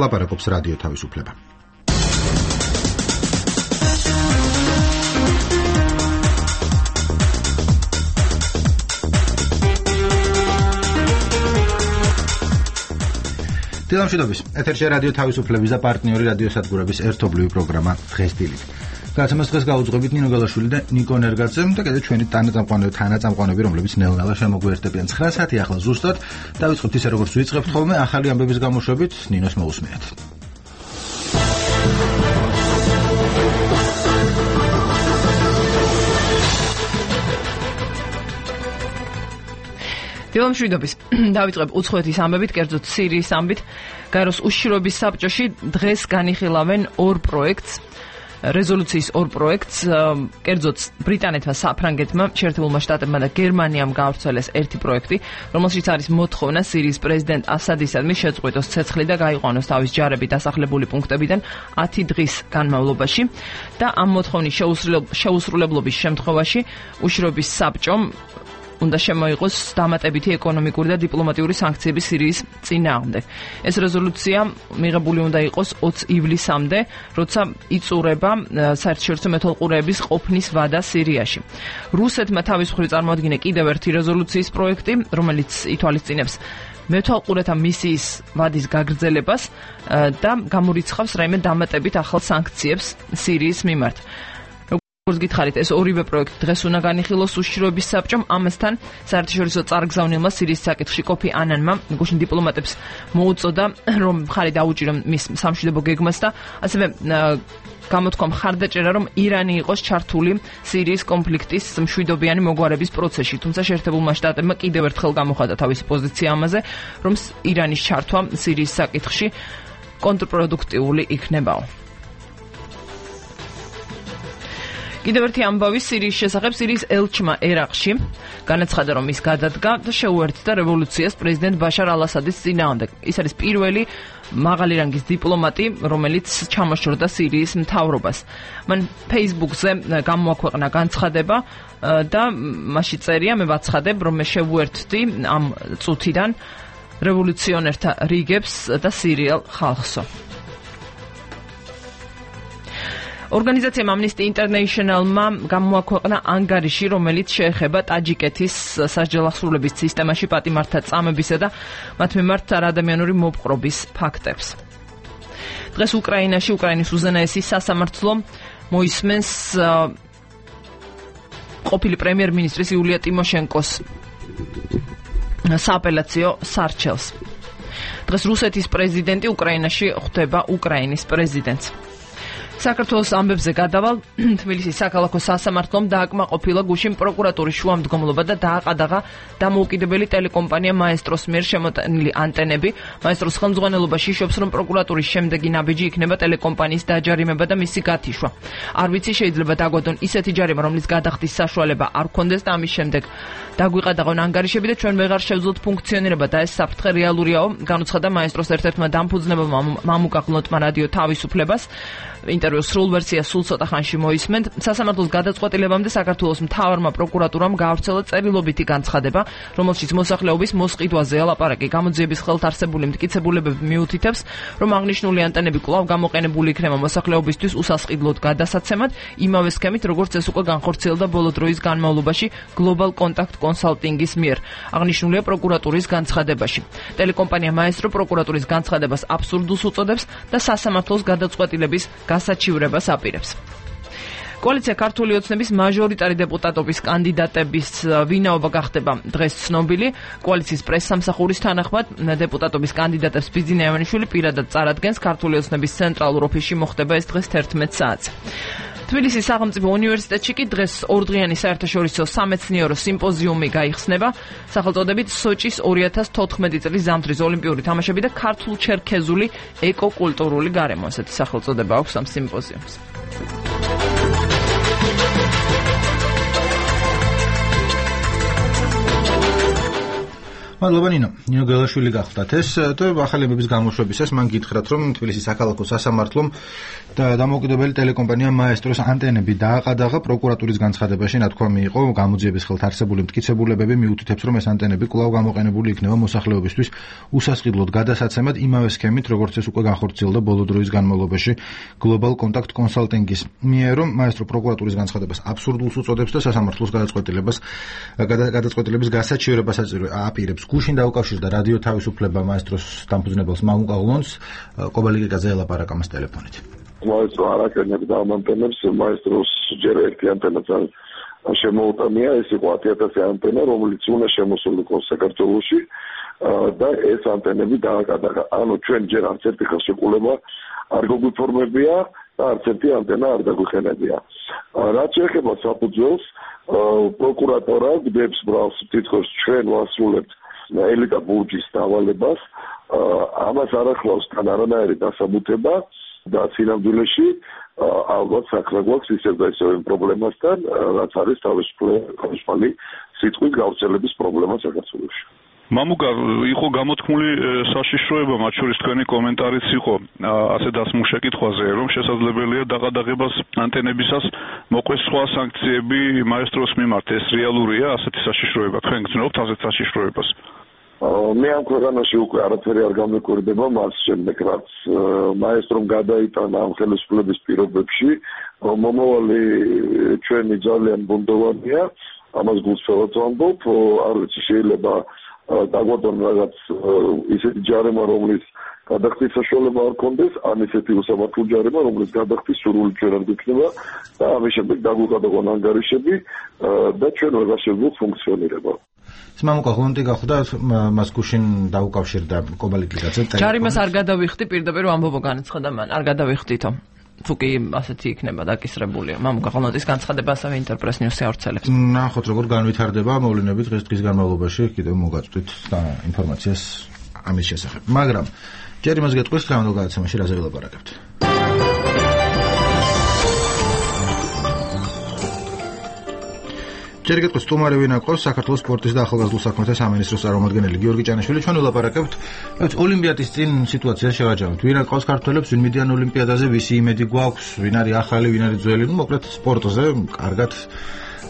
ლაპარაკობს რადიო თავისუფლება. დილამშვიდობის. ეთერში რადიო თავისუფლების და პარტნიორი რადიო სადგურების ერთობლივი პროგრამა დღეს დილით. გადაცემას დღეს გაუძღვებით ნინო გალაშვილი და ნიკო ნერგაძე და კიდევ ჩვენი თანაწამყვანები, რომლებიც ნელ-ნელა შემოგვიერთებიან 9 საათი ახლა ზუსტად. დავიწყებთ ისე როგორც ვიწყებთ ხოლმე ახალი ამბების გამოშვებით ნინოს მოусმინეთ. დილამშვიდობის. დავიწყებ უცხოეთის ამბებით, კერძოდ სირიის ამბით. გაეროს უშიშროების საბჭოში დღეს განიხილავენ ორ პროექტს. რეზოლუციის ორ პროექტს, კერძოდ ბრიტანეთმა, საფრანგეთმა, შეერთებულმა შტატებმა და გერმანიამ გაავრცელეს ერთი პროექტი, რომელშიც არის მოთხოვნა სირიის პრეზიდენტ ასადისადმი შეწყვიტოს ცეცხლი და გაიყვანოს თავის ჯარები დასახლებული პუნქტებიდან 10 დღის განმავლობაში და ამ მოთხოვნის შეუსრულებლობის შემთხვევაში უშიშროების საბჭომ უნდა შემოიღოს დამატებითი ეკონომიკური და დიპლომატიური სანქციები სირიის წინააღმდეგ. ეს რეზოლუცია მიღებული უნდა იყოს 20 ივლისამდე, როცა იწურება საერთაშორისო მეთვალყურეების ყოფნის ვადა სირიაში. რუსეთმა თავის მხრივ წარმოადგინა კიდევ ერთი რეზოლუციის პროექტი, რომელიც ითვალისწინებს მეთვალყურეთა მისიის ვადის გაგრძელებას და გამორიცხავს რაიმე დამატებით ახალ სანქციებს სირიის მიმართ. როგორც გითხარით, ეს ორივე პროექტი დღეს უნდა განიხილოს უშიშროების საბჭომ. ამასთან საერთაშორისო წარგზავნილმა სირიის საკითხში კოფი ანანმა გუშინ დიპლომატებს მოუწოდა, რომ მხარი დაუჭირონ მის სამშვიდობო გეგმას და ასევე გამოთქვა მხარდაჭერა, რომ ირანი იყოს ჩართული სირიის კონფლიქტის მშვიდობიანი მოგვარების პროცესში. თუმცა შეერთებულმა შტატებმა კიდევ ერთხელ გამოხატა თავისი პოზიცია ამაზე, რომ ირანის ჩართვა სირიის საკითხში კონტრპროდუქტიული იქნებაო. კიდევ ერთი ამბავი სირიის შესახებ. სირიის ელჩმა ერაყში განაცხადა, რომ ის გადადგა და შეუერთდა რევოლუციას პრეზიდენტ ბაშარ ალ-ასადის წინააღმდეგ. ის არის პირველი მაღალი რანგის დიპლომატი, რომელიც ჩამოშორდა სირიის მთავრობას. მან Facebook-ზე გამოაქვეყნა განცხადება და მასში წერია, მე ვაცხადებ, რომ მე შევუერთდი ამ წუთიდან რევოლუციონერთა რიგებს და სირიელ ხალხსო. ორგანიზაციამ Amnesty International-მა გამოაქვეყნა ანგარიში, რომელიც შეეხება ტაჯიკეთის სასჯელახსრულების სისტემაში პატიმართა წამებისა და მათ მიმართ არაადამიანური მოპყრობის ფაქტებს. დღეს უკრაინაში უკრაინის უზენაესი სასამართლო მოისმენს ყოფილი პრემიერ-მინისტრის იულია ტიმოშენკოს სააპელაციო სარჩელს. დღეს რუსეთის პრეზიდენტი უკრაინაში ხვდება უკრაინის პრეზიდენტს. საქართველოს ამბებზე გადავალ. თბილისის საქალაქო სასამართლომ დააკმაყოფილა გუშინ პროკურატურის შუამდგომლობა და დააყადაღა დამოუკიდებელი ტელეკომპანია მაესტროს მიერ შემოტანილი ანტენები. მაესტროს ხელმძღვანელობაში იშობს, რომ პროკურატურის შემდეგი ნაბიჯი იქნება ტელეკომპანიის დაჯარიმება და მისი გათიშვა. არ ვიცი, შეიძლება დაგვადონ ისეთი ჯარიმა, რომლის გადახდის საშუალება არ გქონდეს და ამის შემდეგ დაგვიყადაღონ ანგარიშები და ჩვენ ვეღარ შევძლოთ ფუნქციონირება და ეს საფრთხე რეალურიაო, განუცხადა მაესტროს ერთ-ერთმა დამფუძნებელმა მამუკა ღლონტმა რადიო თავისუფლებას. ინტერვიუს სრულ ვერსიას სულ ცოტა ხანში მოისმენთ. სასამართლოს გადაწყვეტილებამდე საქართველოს მთავარმა პროკურატურამ გაავრცელა წერილობითი განცხადება, რომელშიც მოსახლეობის მოსყიდვაზეა ლაპარაკი. გამოძიების ხელთ არსებული მტკიცებულებები მიუთითებს, რომ აღნიშნული ანტენები კვლავ გამოყენებული იქნება მოსახლეობისთვის უსასყიდლოდ გადასაცემად, იმავე სქემით, როგორც ეს უკვე განხორციელდა ბოლო დროის განმავლობაში Global Contact Consulting-ის მიერ. აღნიშნულია პროკურატურის განცხადებაში. ტელეკომპანია მაესტრო პროკურატურის განცხადებას აბსურდულს უწოდებს და სასამართლოს გადაწყვეტილების გასაჩივრებას აპირებს. კოალიცია ქართული ოცნების მაჟორიტარი დეპუტატობის კანდიდატების ვინაობა გახდება დღეს ცნობილი. კოალიციის პრესსამსახურის თანახმად დეპუტატობის კანდიდატებს ბიძინა ივანიშვილი პირადად წარადგენს. ქართული ოცნების ცენტრალურ ოფისში მოხდება ეს დღეს 11 საათზე. თბილისის სახელმწიფო უნივერსიტეტში კი დღეს ორდღიანი საერთაშორისო სამეცნიერო სიმპოზიუმი გაიხსნება სახელწოდებით სოჭის 2014 წლის ზამთრის ოლიმპიური თამაშები და ქართულ-ჩერქეზული ეკოკულტურული გარემო. ასეთი სახელწოდება აქვს ამ სიმპოზიუმს. მადლობა ნინო გელაშვილი გახლდათ ეს და ახალი ამბების გამოშვებისას მან გითხრათ რომ თბილისის საქალაქო სასამართლომ და დამოუკიდებელი ტელეკომპანია მაესტროს ანტენები დააყადაღა პროკურატურის განცხადებაში ნათქვამი იყო გამოძიების ხელთ არსებული მტკიცებულებები მიუთითებს რომ ეს ანტენები კვლავ გამოყენებული იქნება მოსახლეობისთვის უსასყიდლოდ გადასაცემად იმავე სქემით როგორც ეს უკვე განხორციელდა ბოლო დროის განმავლობაში Global Contact Consulting-ის მიერ რომ მაესტრო პროკურატურის განცხადებას აბსურდულს უწოდებს და სასამართლოს გადაწყვეტილების გასაჩივრებას აპირებს გუშინ დაუკავშირდა რადიო თავისუფლება მაესტროს დამფუძნებელს მამუკა ღლონს კობალიკაზე ელაპარაკა მას ტელეფონით მაესტრო არაკენებს და ამანტენებს მაესტროს ჯერ ერთი ანტენაც შემოუტანია ეს იყო 10,000 ანტენა რომელიც უნდა შემოსულიყო საქართველოში და ეს ანტენები დააკადაღა ანუ ჩვენ ჯერ არც ერთი ხელშეკრულება არ გვიფორმებია და არც ერთი ანტენა არ დაგვიხენებია რაც შეეხება საფუძველს პროკურატურა გვდებს ბრალს თითქოს ჩვენ ვასრულებთ ელიტა ბურჯის დავალებას ამას არ ახლავს თან არანაირი დასაბუთება და სინამდვილეში ალბათ საქმე გვაქვს ისევ და ისევ პრობლემასთან რაც არის თავისუფალი სიტყვის გავრცელების პრობლემა საქართველოში მამუკა იყო გამოთქმული საშიშროება მათ შორის თქვენი კომენტარიც იყო ასე დასმულ შეკითხვაზე რომ შესაძლებელია დაყადაღებას ანტენებისას მოყვეს სხვა სანქციები მაესტროს მიმართ ეს რეალურია ასეთი საშიშროება თქვენ გძნობთ ასეთ საშიშროებას მე ამ ქვეყანაში უკვე არაფერი არ გამეკვირდება მას შემდეგ რაც მაესტრომ გადაიტანა ამ ხელისუფლების პირობებში მომავალი ჩვენი ძალიან ბუნდოვანია ამას გულწრფელად ვამბობ არ ვიცი შეიძლება დაგვადონ რაღაც ისეთი ჯარიმა რომლის გადახდის საშუალება არ კონდეს ან ისეთი უსამართლო ჯარიმა რომლის გადახდის სურვილი ჩვენ არ გვიქნება და ამის შემდეგ დაგვიყადაგონ ანგარიშები და ჩვენ ვეღარ შევძლოთ ფუნქციონირება მამუკა ღლონტი გახლდა მას გუშინ დაუკავშირდა კობალიკიძე ჯარიმას არ გადავიხდი პირდაპირ ამბობო განაცხადა მან არ გადავიხდითო თუკი ასეთი იქნება დაკისრებული მამუკა ღლონტის განცხადება ასევე ინტერპრეს ნიუსი ავრცელებს ნახოთ როგორ განვითარდება მოვლენები დღის განმავლობაში კიდევ მოგაწვდით და ინფორმაციას ამის შესახებ მაგრამ ჯერ იმას გეტყვის რა უნდა გადაცემაში რაზე ველაპარაკებთ ჯერ გეტყვის სტუმარი ვინ აქვს საქართველოს სპორტის და ახალგაზრდულ საქმეთა სამინისტროს წარმომადგენელი გიორგი ჭანაშვილი ჩვენ ველაპარაკებთ ოლიმპიადის წინ სიტუაციას შევაჯამოთ ვინ აქვს ქართველებს ვინ მიდიან ოლიმპიადაზე ვისი იმედი გვაქვს ვინ არის ახალი ვინ არის ძველი მოკლედ სპორტზე კარგად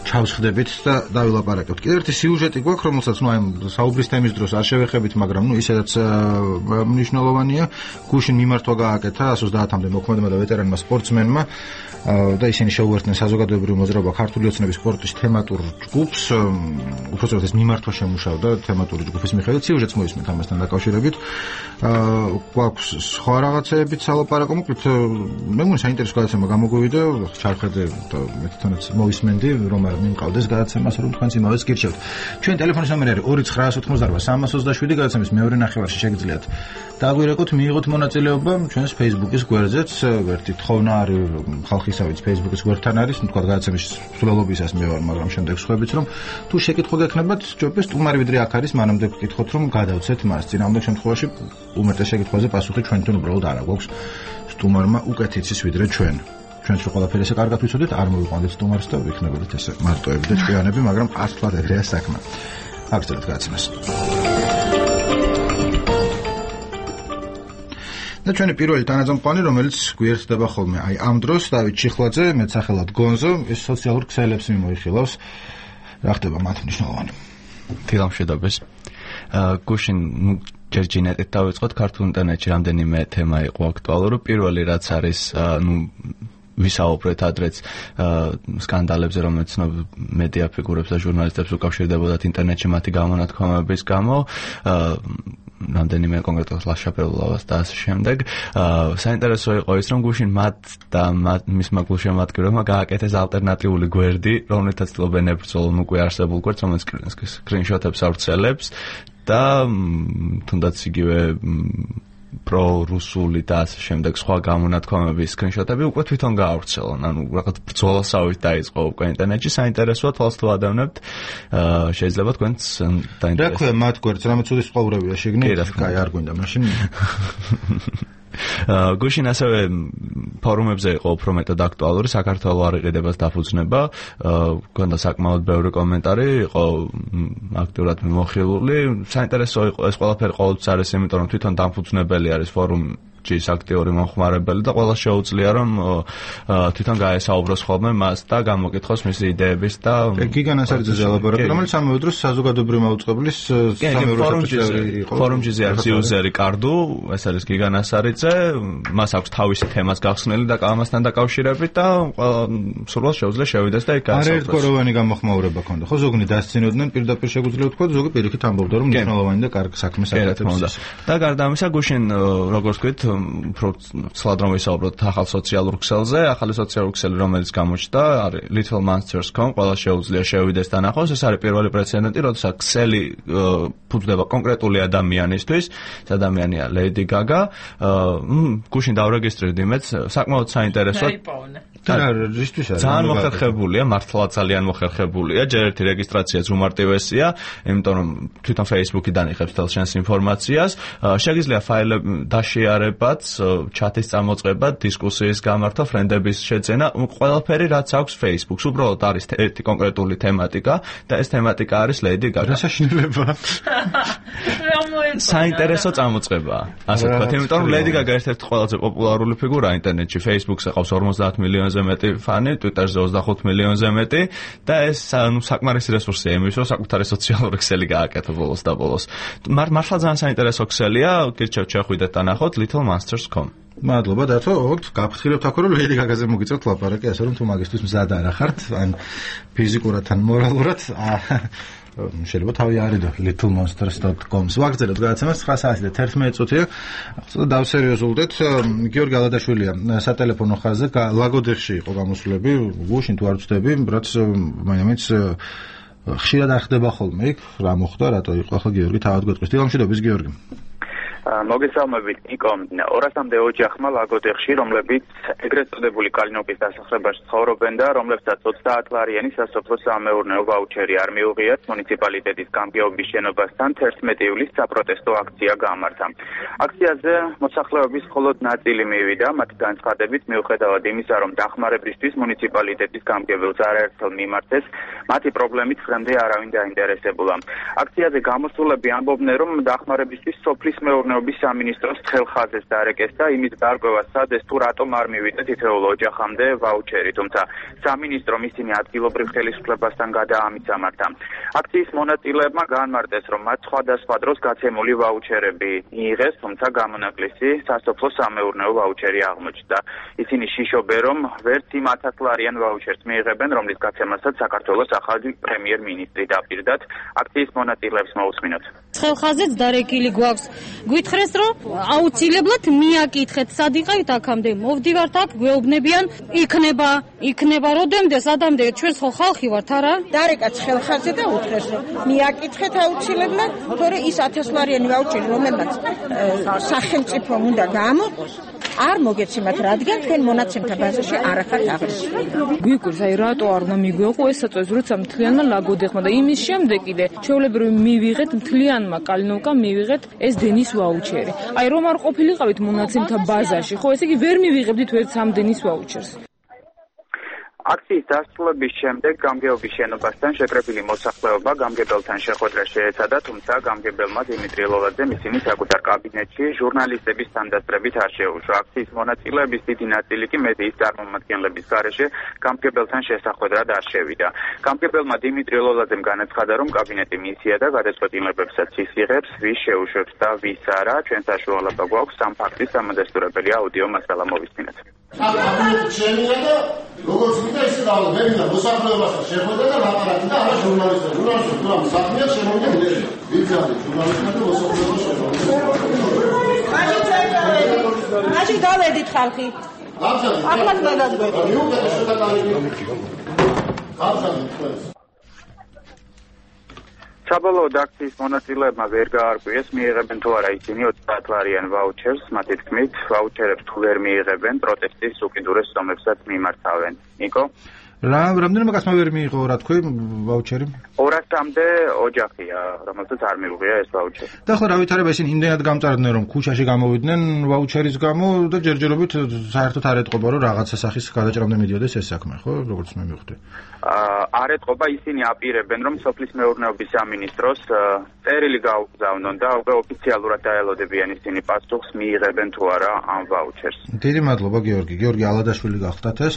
ჩავსხდებით და დავილაპარაკებთ კიდევ ერთი სიუჟეტი გვაქვს რომელსაც აი საუბრის თემის დროს არ შევეხებით მაგრამ ისედაც მნიშვნელოვანია გუშინ მიმართვა გააკეთა 130-მდე მოქმედმა და ვეტერანმა სპორტსმენმა და ისინი შეუერთდნენ საზოგადოებრივ მოძრაობა ქართული ოცნების სპორტის თემატურ ჯგუფს უბრალოდ ეს მიმართვა შემუშავდა თემატური ჯგუფის მიხედვით სიუჟეტს მოისმენთ ამასთან დაკავშირებით გვაქვს სხვა რაღაცეებიც სალაპარაკო მოკლედ მე მგონი საინტერესო გადაცემა გამოგვივიდა ჩარხედე და მე თვითონაც მოვისმენდი რომ არ მიმყავდეს გადაცემას რომ თქვენც იმავეც გირჩევთ ჩვენ ტელეფონის ნომერი არის 2988 გადაცემის მეორე ნახევარში შეგიძლიათ დაგვირეკოთ მიიღოთ მონაწილეობა ჩვენს Facebook-ის გვერდზეც ერთი თხოვნა არის ხალხისავით Facebook-ის გვერდთან არის თქვა გადაცემის სრულობისას მე ვარ მაგრამ შემდეგ სხვაებიც რომ თუ შეკითხვა გექნებათ ჯობია სტუმარი ვიდრე აქ არის მანამდე გკითხოთ რომ გადავცეთ მას წინამდელ შემთხვევაში უმეტეს შეკითხვაზე პასუხი ჩვენთან უბრალოდ არ აქვს სტუმარმა უკეთ იცის ვიდრე ჩვენ ჩვენც რო ყველაფერი ესე კარგად ვიცოდეთ არ მოვიყვანდეთ სტუმარს და ვიქნებოდეთ ესე მარტოები და ჭკვიანები მაგრამ ასწლად ეგრეა საქმე აღწერეთ გადაცემას და ჩვენი პირველი თანაძამყვანი რომელიც გვიერთდება ხოლმე აი ამ დროს დავით ჩიხლაძე მეცახელად გონზო ეს სოციალურ ქსელებს მიმოიხილავს რა ხდება მათ მნიშვნელოვანი ფილმშედაბეს გუშინ ჯერჯინეტით დავიწყოთ ქართულ ინტერნეტში რამდენიმე თემა იყო აქტუალური პირველი რაც არის ვისაუბრეთ ადრეც სკანდალებზე რომელიც მედია ფიგურებს და ჟურნალისტებს უკავშირდებოდათ ინტერნეტში მათი გამონათქვამების გამო რამდენიმე კონკრეტულად ლაშაპელულას და ასე შემდეგ. საინტერესო იყო ის რომ გუშინ მათ და მისმა გულშემატკივრებმა გააკეთეს ალტერნატიული გვერდი, რომელთაც ცდილობენ ებრძოლონ უკვე არსებულ გვერდს, რომელიც სკრინშოტებს ავრცელებს და თუნდაც იგივე პრორუსული და ასე შემდეგ სხვა გამონათქვამების სკრინშოტები უკვე თვითონ გაავრცელონ. ანუ რაღაც ბრძოლასავით დაიწყო უკვე ინტერნეტში. საინტერესოა თვალს თუ ადევნებთ. შეიძლება თქვენც დაინტერესებთ. რა ქვია მათ გვერდს, რამე ცუდი სწყოვრებია შეგნით? კაი, არ გვინდა მაშინ. გუშინ ასევე ფორუმებზე იყო უფრო მეტად აქტუალური საქართველოს არიყიდებას დაფუძნება, გქონდა საკმაოდ ბევრი კომენტარი, იყო აქტიურად მიმოხილული. საინტერესო იყო ეს ყველაფერი ყოველთვის არის, იმიტომ რომ თვითონ დამფუძნებელი არის ფორუმის აქტიური მომხმარებელი და ყველა შეუძლია რომ თვითონ გაესაუბროს ხოლმე მას და გამოკითხოს მისი იდეების და გიგანასარიძეზე ელაბორატორი, რომელიც ამავე დროს საზოგადოებრივი მაუწყებლის ფორუმის იუზერი კარდუ, ეს არის გიგანასარიძე, მას აქვს თავისი თემას გახსნილი და ამასთან დაკავშირებით და სულ შეუძლია შევიდეს და იქ გაესაუბროს. არაერთგვაროვანი გამოხმაურება ქონდა. ხო, ზოგნი დასცინოდნენ, პირდაპირ შეგვიძლია ვთქვა, ზოგი პირიქით ამბობდა რომ მნიშვნელოვანი და კარგი საქმე საკეთებს. და გარდა ამისა, გუშინ როგორც ვთქვით, უფრო ცალად რომ ვისაუბროთ ახალ სოციალურ ქსელზე, ახალი სოციალური ქსელი, რომელიც გამოჩნდა, არის littlemonsters.com, ყველა შეუძლია შევიდეს და ნახოს. ეს არის პირველი პრეცედენტი, როდესაც ქსელი ფუძდება კონკრეტული ადამიანისთვის, ეს ადამიანია Lady Gaga. გუშინ დავრეგისტრირდი მეც, საკმაოდ საინტერესო. ძალიან მოხერხებულია, მართლა ძალიან მოხერხებულია. ჯერ ერთი რეგისტრაციაც უმარტივესია, იმიტომ რომ თვითონ Facebook-იდან იღებს თელ შენს ინფორმაციას. შეგიძლია ფაილები დაშიარებაც, ჩატის წამოწყება, დისკუსიის გამართვა, ფრენდების შეძენა, ყველაფერი რაც აქვს Facebook-ს. უბრალოდ არის ერთი კონკრეტული თემატიკა და ეს თემატიკა არის Lady Gaga. რასაშინელებაა? საინტერესო წამოწყებაა. ასე ვთქვათ, იმიტომ რომ Lady Gaga ერთ-ერთი ყველაზე პოპულარული ფიგურაა ინტერნეტში. Facebook-ზე ყავს 50 მილიონზე მეტი ფანი, Twitter-ზე 25 მილიონზე მეტი და ეს საკმარისი რესურსია იმის, რომ საკუთარი სოციალური ქსელი გააკეთო ბოლოს და ბოლოს. მართლა ძალიან საინტერესო ქსელია, გირჩევთ შეხვიდეთ და ნახოთ littlemonsters.com. მადლობა დათო, გაფრთხილებთ აქ რომ Lady Gaga-ზე მოგიწევთ ლაპარაკი, ასე რომ თუ მაგისთვის მზად არ ახართ, ან ფიზიკურად ან მორალურად, შეიძლება თავი არიდო littlemonsters.com-ს ვაგრძელოთ გადაცემას 9 საათი და 11 წუთია. ახლა დავსერიოზულდეთ. გიორგი ალადაშვილია სატელეფონო ხაზზე ლაგოდეხში იყო გამოსვლები, გუშინ თუ არ ვწდები, რაც მაინც ხშირად არ ხდება ხოლმე იქ, რა მოხდა, რატო იყო ახლა გიორგი თავად გვეტყვის. დილამშვიდობის გიორგი. მოგესალმებით ნიკო. 200-მდე ოჯახმა ლაგოდეხში, რომლებიც ეგრეთ წოდებული კალინოკის დასახლებაში ცხოვრობენ და რომლებსაც 30 ლარიანი სასოფლო-სამეურნეო ვაუჩერი არ მიუღიათ, მუნიციპალიტეტის გამგეობის შენობასთან 11 ივლისს საპროტესტო აქცია გამართა. აქციაზე მოსახლეობის მხოლოდ ნაწილი მივიდა, მათი განცხადებით მიუხედავად იმისა, რომ დახმარებისთვის მუნიციპალიტეტის გამგებელს არაერთხელ მიმართეს, მათი პრობლემით დღემდე არავინ დაინტერესებულა. აქციაზე გამოსულები ამბობდნენ, რომ დახმარებისთვის სოფლის მეურნეობის სამინისტროს ხელხაზეს დარეკეს და იმის დარკვევა სცადეს, თუ რატომ არ მივიდა თითოეულ ოჯახამდე ვაუჩერი, თუმცა სამინისტრომ ისინი ადგილობრივ ხელისუფლებასთან გადაამიცამართა. აქციის მონაწილეებმა განმარტეს, რომ მათ სხვადასხვა დროს გაცემული ვაუჩერები მიიღეს, თუმცა გამონაკლისი სასოფლო-სამეურნეო ვაუჩერი აღმოჩნდა. ისინი შიშობენ, რომ ვერც იმ 1000 ლარიან ვაუჩერს მიიღებენ, რომლის გაცემასაც საქართველოს ახალი პრემიერ-მინისტრი დაპირდათ. აქციის მონაწილეებს მოусმინოთ. ხელხაზეც დარეკილი გვაქვს. გითხრეს, რომ აუცილებლად მიაკითხეთ, სად იყავით აქამდე, მოვდივართ აქ, გვეუბნებიან, იქნება როდემდე, სადამდე, ჩვენს ხო ხალხი ვართ, არა? დარეკაც ხელხაზე და უთხრეს, რომ მიაკითხეთ აუცილებლად, თორე ის 1000 ლარიანი ვაუჩერი, რომელმაც სახელმწიფომ უნდა გამოყოს, არ მოგეცემათ, რადგან თქვენ მონაცემთა ბაზაში არ ახართ აღნიშნული. გვიკვირს, აი რატო არ უნდა მიგვეყო ეს საწვევს, როცა მთლიანმა ლაგოდეხმა და იმის შემდეგ კიდე ჩვეულებრივ მივიღეთ მთლიანმა კალინოვკამ მივიღეთ ეს დენის ვაუჩერი. აი რომ არ ყოფილიყავით მონაცემთა ბაზაში, ხო ესე იგი ვერ მივიღებდით ვერც ამ დენის ვაუჩერს. აქციის დასრულების შემდეგ გამგეობის შენობასთან შეკრებილი მოსახლეობა გამგებელთან შეხვედრა შეეცადა, თუმცა გამგებელმა დიმიტრი ლოლაძემ ისინი საკუთარ კაბინეტში ჟურნალისტების თანდასწრებით არ შეუშვა. აქციის მონაწილეების დიდი ნაწილი კი მედიის წარმომადგენლების გარეშე გამგებელთან შესახვედრად არ შევიდა. გამგებელმა დიმიტრი ლოლაძემ განაცხადა, რომ კაბინეტი მისია და გადაწყვეტილებებსაც ის იღებს, ვის შეუშვებს და ვის არა. ჩვენ საშუალება გვაქვს ამ ფაქტის დამადასტურებელი აუდიო მასალა მოვისმინოთ. როგორც ვიდა ისე დავწერა მოსახლეობასთან შეხვედრა და ლაპარაკი და არა ჟურნალისტები. ჟურნალისტები თუ რამ საქმეა შემოვიდა ვიცი ჟურნალისტები და მოსახლეობა შეხვედრა. მაშინ გავედით ხალხი. ახლა გადაგგვეწე. მიუღეთ შეტანილი. საბოლოოდ აქციის მონაწილეებმა ვერ გაარკვიეს მიიღებენ თუ არა ისინი 30 ლარიან ვაუჩერს, მათი თქმით, ვაუჩერებს თუ ვერ მიიღებენ, პროტესტის უკიდურეს ზომებსაც მიმართავენ. ნიკო? რამდენიმე კაცმა ვერ მიიღო, რა თქვი, ვაუჩერი? 200-მდე ოჯახია, რომელსაც არ მიუღია ეს ვაუჩერი. და ხო, რა ვითარება, ისინი იმდენად გამწარდნენ, რომ ქუჩაში გამოვიდნენ ვაუჩერის გამო და ჯერჯერობით საერთოდ არ ეტყობა, რომ რაღაცა სახის გადაჭრამდე მიდიოდეს ეს საქმე, ხო, როგორც მე მივხვდი. არ ეტყობა, ისინი აპირებენ, რომ სოფლის მეურნეობის სამინისტროს წერილი გაუგზავნონ და უკვე ოფიციალურად დაელოდებიან ისინი პასუხს მიიღებენ თუ არა ამ ვაუჩერს. დიდი მადლობა, გიორგი. გიორგი ალადაშვილი გახდათ ეს.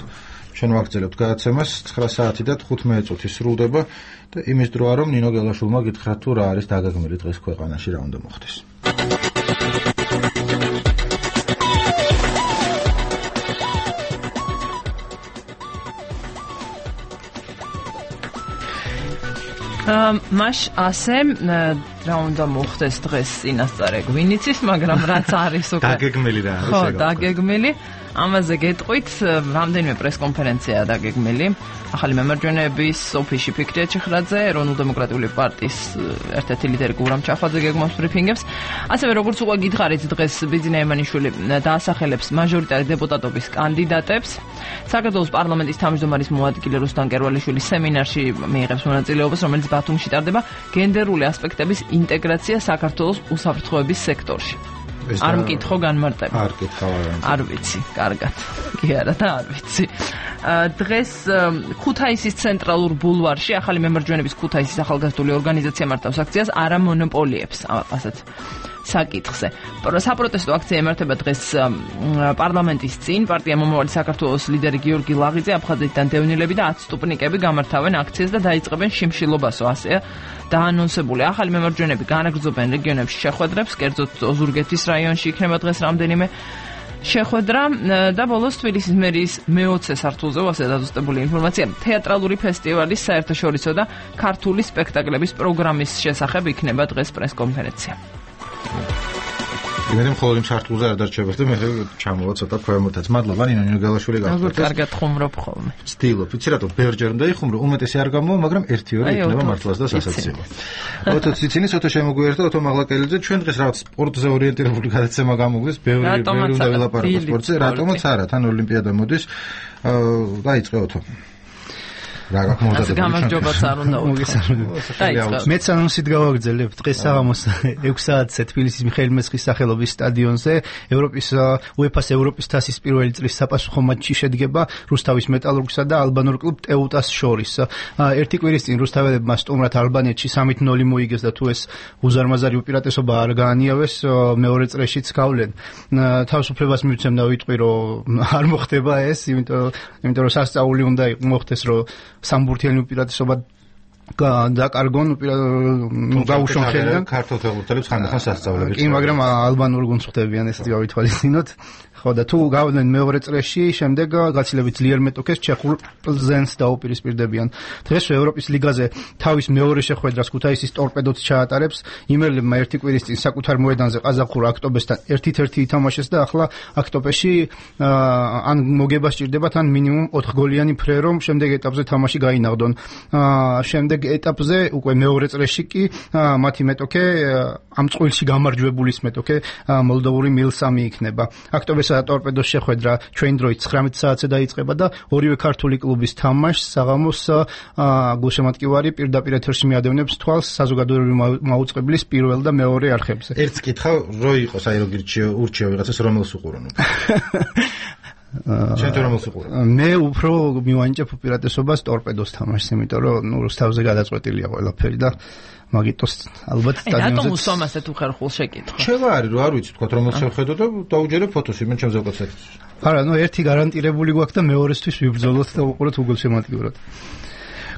ჩვენ ვაგრძელებთ გადაცემას 9 საათი და 15 წუთი სრულდება და იმის დროა რომ ნინო გელაშვილმა გითხრათ თუ რა არის დაგეგმილი დღეს ქვეყანაში რა უნდა მოხდეს. მაშ ასე რა უნდა მოხდეს დღეს წინასწარ გვინიცის, მაგრამ რაც არის უკვე დაგეგმილი რა არის ეგ. ხო, დაგეგმილი. ამაზე გეტყვით, რამდენიმე პრესკონფერენციაა დაგეგმილი. ახალი მემარჯვენეების ოფისში ფიქრია ჩიხრაძე, ეროვნულ დემოკრატიული პარტიის ერთ-ერთი ლიდერი გურამ ჩახვაძე გეგმავს ბრიფინგებს. ასევე როგორც უკვე გითხარით, დღეს ბიძინა ემანიშვილი დაასახელებს მაჟორიტარი დეპუტატობის კანდიდატებს. საქართველოს პარლამენტის თავმჯდომარის მოადგილე რუსტან კერვალიშვილის სემინარში მიიღებს მონაწილეობას, რომელიც ბათუმში ტარდება გენდერული ასპექტების ინტეგრაცია საქართველოს უსაფრთხოების სექტორში. არ მკითხო განმარტება. არ კითხავ. არ ვიცი, კარგად. კი არა და არ ვიცი. დღეს ქუთაისის ცენტრალურ ბულვარში ახალი მემარჯვენეების ქუთაისის ახალგაზრდული ორგანიზაცია მართავს აქციას არა მონოპოლიებს, ასეთ საკითხზე. საპროტესტო აქცია ემართება დღეს პარლამენტის წინ. პარტია მომავალი საქართველოს ლიდერი გიორგი ლაღიძე, აფხაზეთიდან დევნილები და 10 სტუპნიკები გამართავენ აქციას და დაიწყებენ შიმშილობასო, ასეა დაანონსებული. ახალი მემარჯვენეები განაგრძობენ რეგიონებში შეხვედრებს, კერძოდ ოზურგეთის რაიონში იქნება დღეს რამდენიმე შეხვედრა და ბოლოს თბილისის მერიის მე-20 სართულზე ასე დაზუსტებული ინფორმაცია თეატრალური ფესტივალის საერთაშორისო და ქართული სპექტაკლების პროგრამის შესახებ იქნება დღეს პრესკონფერენცია. იმედია მხოლოდ იმ სართულზე არ დარჩება და მე ჩამოვა ცოტა ქვემოთაც. მადლობა ნინო გელაშვილი გახდათ. კარგად ხუმრობ ხოლმე. ვცდილობ, ვიცი რატო ბერჯერ უნდა იხუმრო, უმეტესი არ გამოვა, მაგრამ 1-2 იქნება მართლაც და სასაცილო. ოთო ციცინის, ოთო შემოგვიერთდა, ოთო მაღლაკელიძე, ჩვენ დღეს რაღაც სპორტზე ორიენტირებული გადაცემა გამოგვდის, ბევრი უნდა ვილაპარაკოთ სპორტზე, რატომაც არა, თან ოლიმპიადა მოდის. დაიწყე ოთო. რა გაკმოვდადებული გამარჯობაც არ უნდა მოგესალმებით. მეც ანონსით გავაგრძელებ დღეს საღამოს 6 საათზე თბილისის მიხეილ მესხის სახელობის სტადიონზე ევროპის UEFA-ს ევროპის თასის პირველი წრის საპასუხო მატჩი შედგება რუსთავის მეტალურგსა და ალბანურ კლუბ ტეუტას შორის. ერთი კვირის წინ რუსთაველებმა სტუმრად ალბანეთში 3-0 მოიგეს და თუ ეს უზარმაზარი უპირატესობა არ გაანიავეს, მეორე წრეშიც გავლენ. თავისუფლებას მივცემ და ვიტყვი რომ არ მოხდება ეს, იმიტომ რომ სასწაული უნდა მოხდეს რომ სამბურთიანი უპირატესობა დაკარგონ გაუშვან ხელიდან ქართულ ფეხბურთელებს ხანდახან სასწავლებლებს. კი, მაგრამ ალბანურ გუნდს ხვდებიან ეს გავითვალისწინოთ. ხო და თუ გავდნენ მეორე წრეში, შემდეგ გაცილებით ძლიერ მეტოქეს ჩეხურ პლზენს დაუპირისპირდებიან. დღეს ევროპის ლიგაზე თავის მეორე შეხვედრას ქუთაისის ტორპედოც ჩაატარებს. იმერლებმა ერთი კვირის წინ საკუთარ მოედანზე ყაზახურ აქტობესთან 1-1 ითამაშეს და ახლა აქტობეში ან მოგება სჭირდებათ, ან მინიმუმ 4 გოლიანი ფრე, რომ შემდეგ ეტაპზე თამაში გაინაღდონ. შემდეგ ეტაპზე უკვე მეორე წრეში კი მათი მეტოქე ამ წყვილში გამარჯვებულის მეტოქე მოლდოვური მილსამი იქნება. აქტობეს ტორპედოს შეხვედრა ჩვენ დროით 19 საათზე დაიწყება და ორივე ქართული კლუბის თამაშს საღამოს გულშემატკივარი პირდაპირ ეთერში მიადევნებს თვალს საზოგადოებრივი მაუწყებლის პირველ და მეორე არხებზე. ერთს კითხავ, რო იყოს აი როგორ ურჩიო ვიღაცას რომელს უყურონ. ჩვენ თუ რომელს უყურონ? მე უფრო მივანიჭებ უპირატესობას ტორპედოს თამაშს, იმიტომ რომ რუსთავზე გადაწყვეტილია ყველაფერი და მაგიტოს ალბათ სტადიონზე. რატომ უსვამ ასეთ უხერხულ შეკითხვა? შევა არის, რომ არ ვიცით თქვა რომელს შევხედო და დაუჯერებ ფოტოს იმენ ჩემზე ვკაცეთ. არა, ერთი გარანტირებული გვაქვს და მეორესთვის ვიბრძოლოთ და უყუროთ უგულშემატკივრად.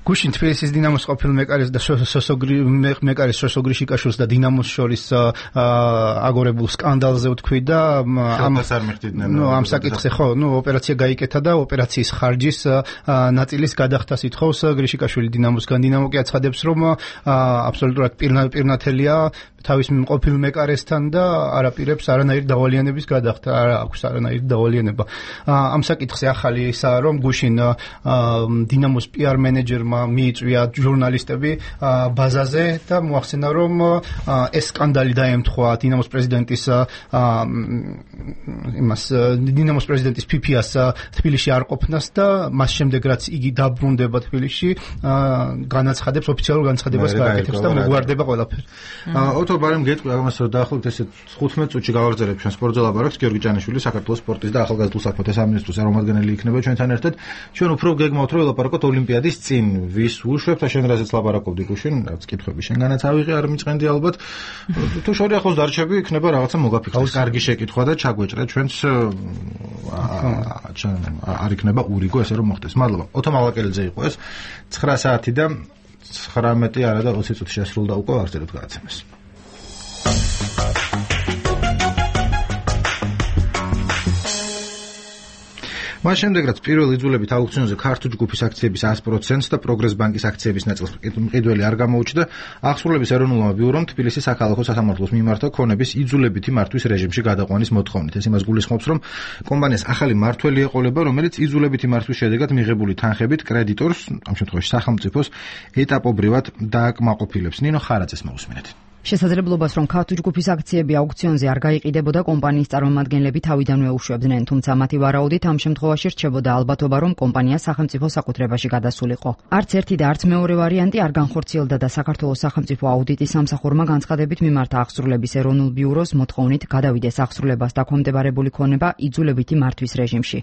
გუშინ თბილისის დინამოს ყოფილ მეკარეს და მეკარეს სოსოგრიშიკაშვილს და დინამოს შორის აგორებულ სკანდალზე ვთქვი და ამ საკითხზე ხო, ოპერაცია გაიკეთა და ოპერაციის ხარჯის ნაწილის გადახდას ითხოვს გრიშიკაშვილი დინამოსგან. დინამო კი აცხადებს, რომ აბსოლუტურად პირნათელია თავის ყოფილ მეკარესთან და არაპირებს არანაირი დავალიანების გადახდა, არა აქვს არანაირი დავალიანება. ამ საკითხზე ახალი ისაა, რომ გუშინ დინამოს PR მენეჯერმა მიიწვია ჟურნალისტები ბაზაზე და მოახსენა, რომ ეს სკანდალი დაემთხვა დინამოს პრეზიდენტის დინამოს პრეზიდენტის ფიფიას თბილისში არ ყოფნას და მას შემდეგ რაც იგი დაბრუნდება თბილისში განაცხადებს ოფიციალურ განცხადებას გააკეთებს და მოგვარდება ყველაფერი. ოთო ბარემ გეტყვი ამას რომ დაახლოებით ესე 15 წუთში გავაგზავნებ ჩვენ სპორტზე ლაპარაკს გიორგი ჭანიშვილი საქართველოს სპორტის და ახალგაზრდულ საქმეთა სამინისტროს წარმომადგენელი იქნება ჩვენთან ერთად. ჩვენ უფრო გეგმავთ რომ ელაპარაკოთ ოლიმპიადის წინ ვის უშვებთ და შენ რაზეც ლაპარაკობდი გუშინ რაც კითხვები შენგანაც ავიღე არ მიწყენდი ალბათ თუ შორი ახლოს დარჩები იქნება რაღაცა მოგაფიქრდეს კარგი შეკითხვა და ჩაგვეჭრე ჩვენც არ იქნება ურიგო ესე რომ მოხდეს. მადლობა. ოთო მალაკელიძე იყო ეს 9 საათი და 19 არა და 20 წუთი შესრულდა უკვე აღწეროთ გადაცემას. მას შემდეგ რაც პირველ იძულებით აუქციონზე ქართულ ჯგუფის აქციების 100%-ს და პროგრეს ბანკის აქციების ნაწილს მყიდველი არ გამოუჩნდა, აღსრულების ეროვნულმა ბიურომ თბილისის საქალაქო სასამართლოს მიმართა ქონების იძულებითი მართვის რეჟიმში გადაყვანის მოთხოვნით. ეს იმას გულისხმობს, რომ კომპანიას ახალი მმართველი ეყოლება, რომელიც იძულებითი მართვის შედეგად მიღებული თანხებით კრედიტორს, ამ შემთხვევაში სახელმწიფოს, ეტაპობრივად დააკმაყოფილებს. ნინო ხარაძეს მოусმინეთ. შესაძლებლობას, რომ ქართულ ჯგუფის აქციები აუქციონზე არ გაიყიდებოდა, კომპანიის წარმომადგენლები თავიდანვე უშვებდნენ, თუმცა მათი ვარაუდით ამ შემთხვევაში რჩებოდა ალბათობა, რომ კომპანია სახელმწიფო საკუთრებაში გადასულიყო. არც ერთი და არც მეორე ვარიანტი არ განხორციელდა და საქართველოს სახელმწიფო აუდიტის სამსახურმა განცხადებით მიმართა აღსრულების ეროვნულ ბიუროს მოთხოვნით გადავიდეს აღსრულებას დაქვემდებარებული ქონება იძულებითი მართვის რეჟიმში.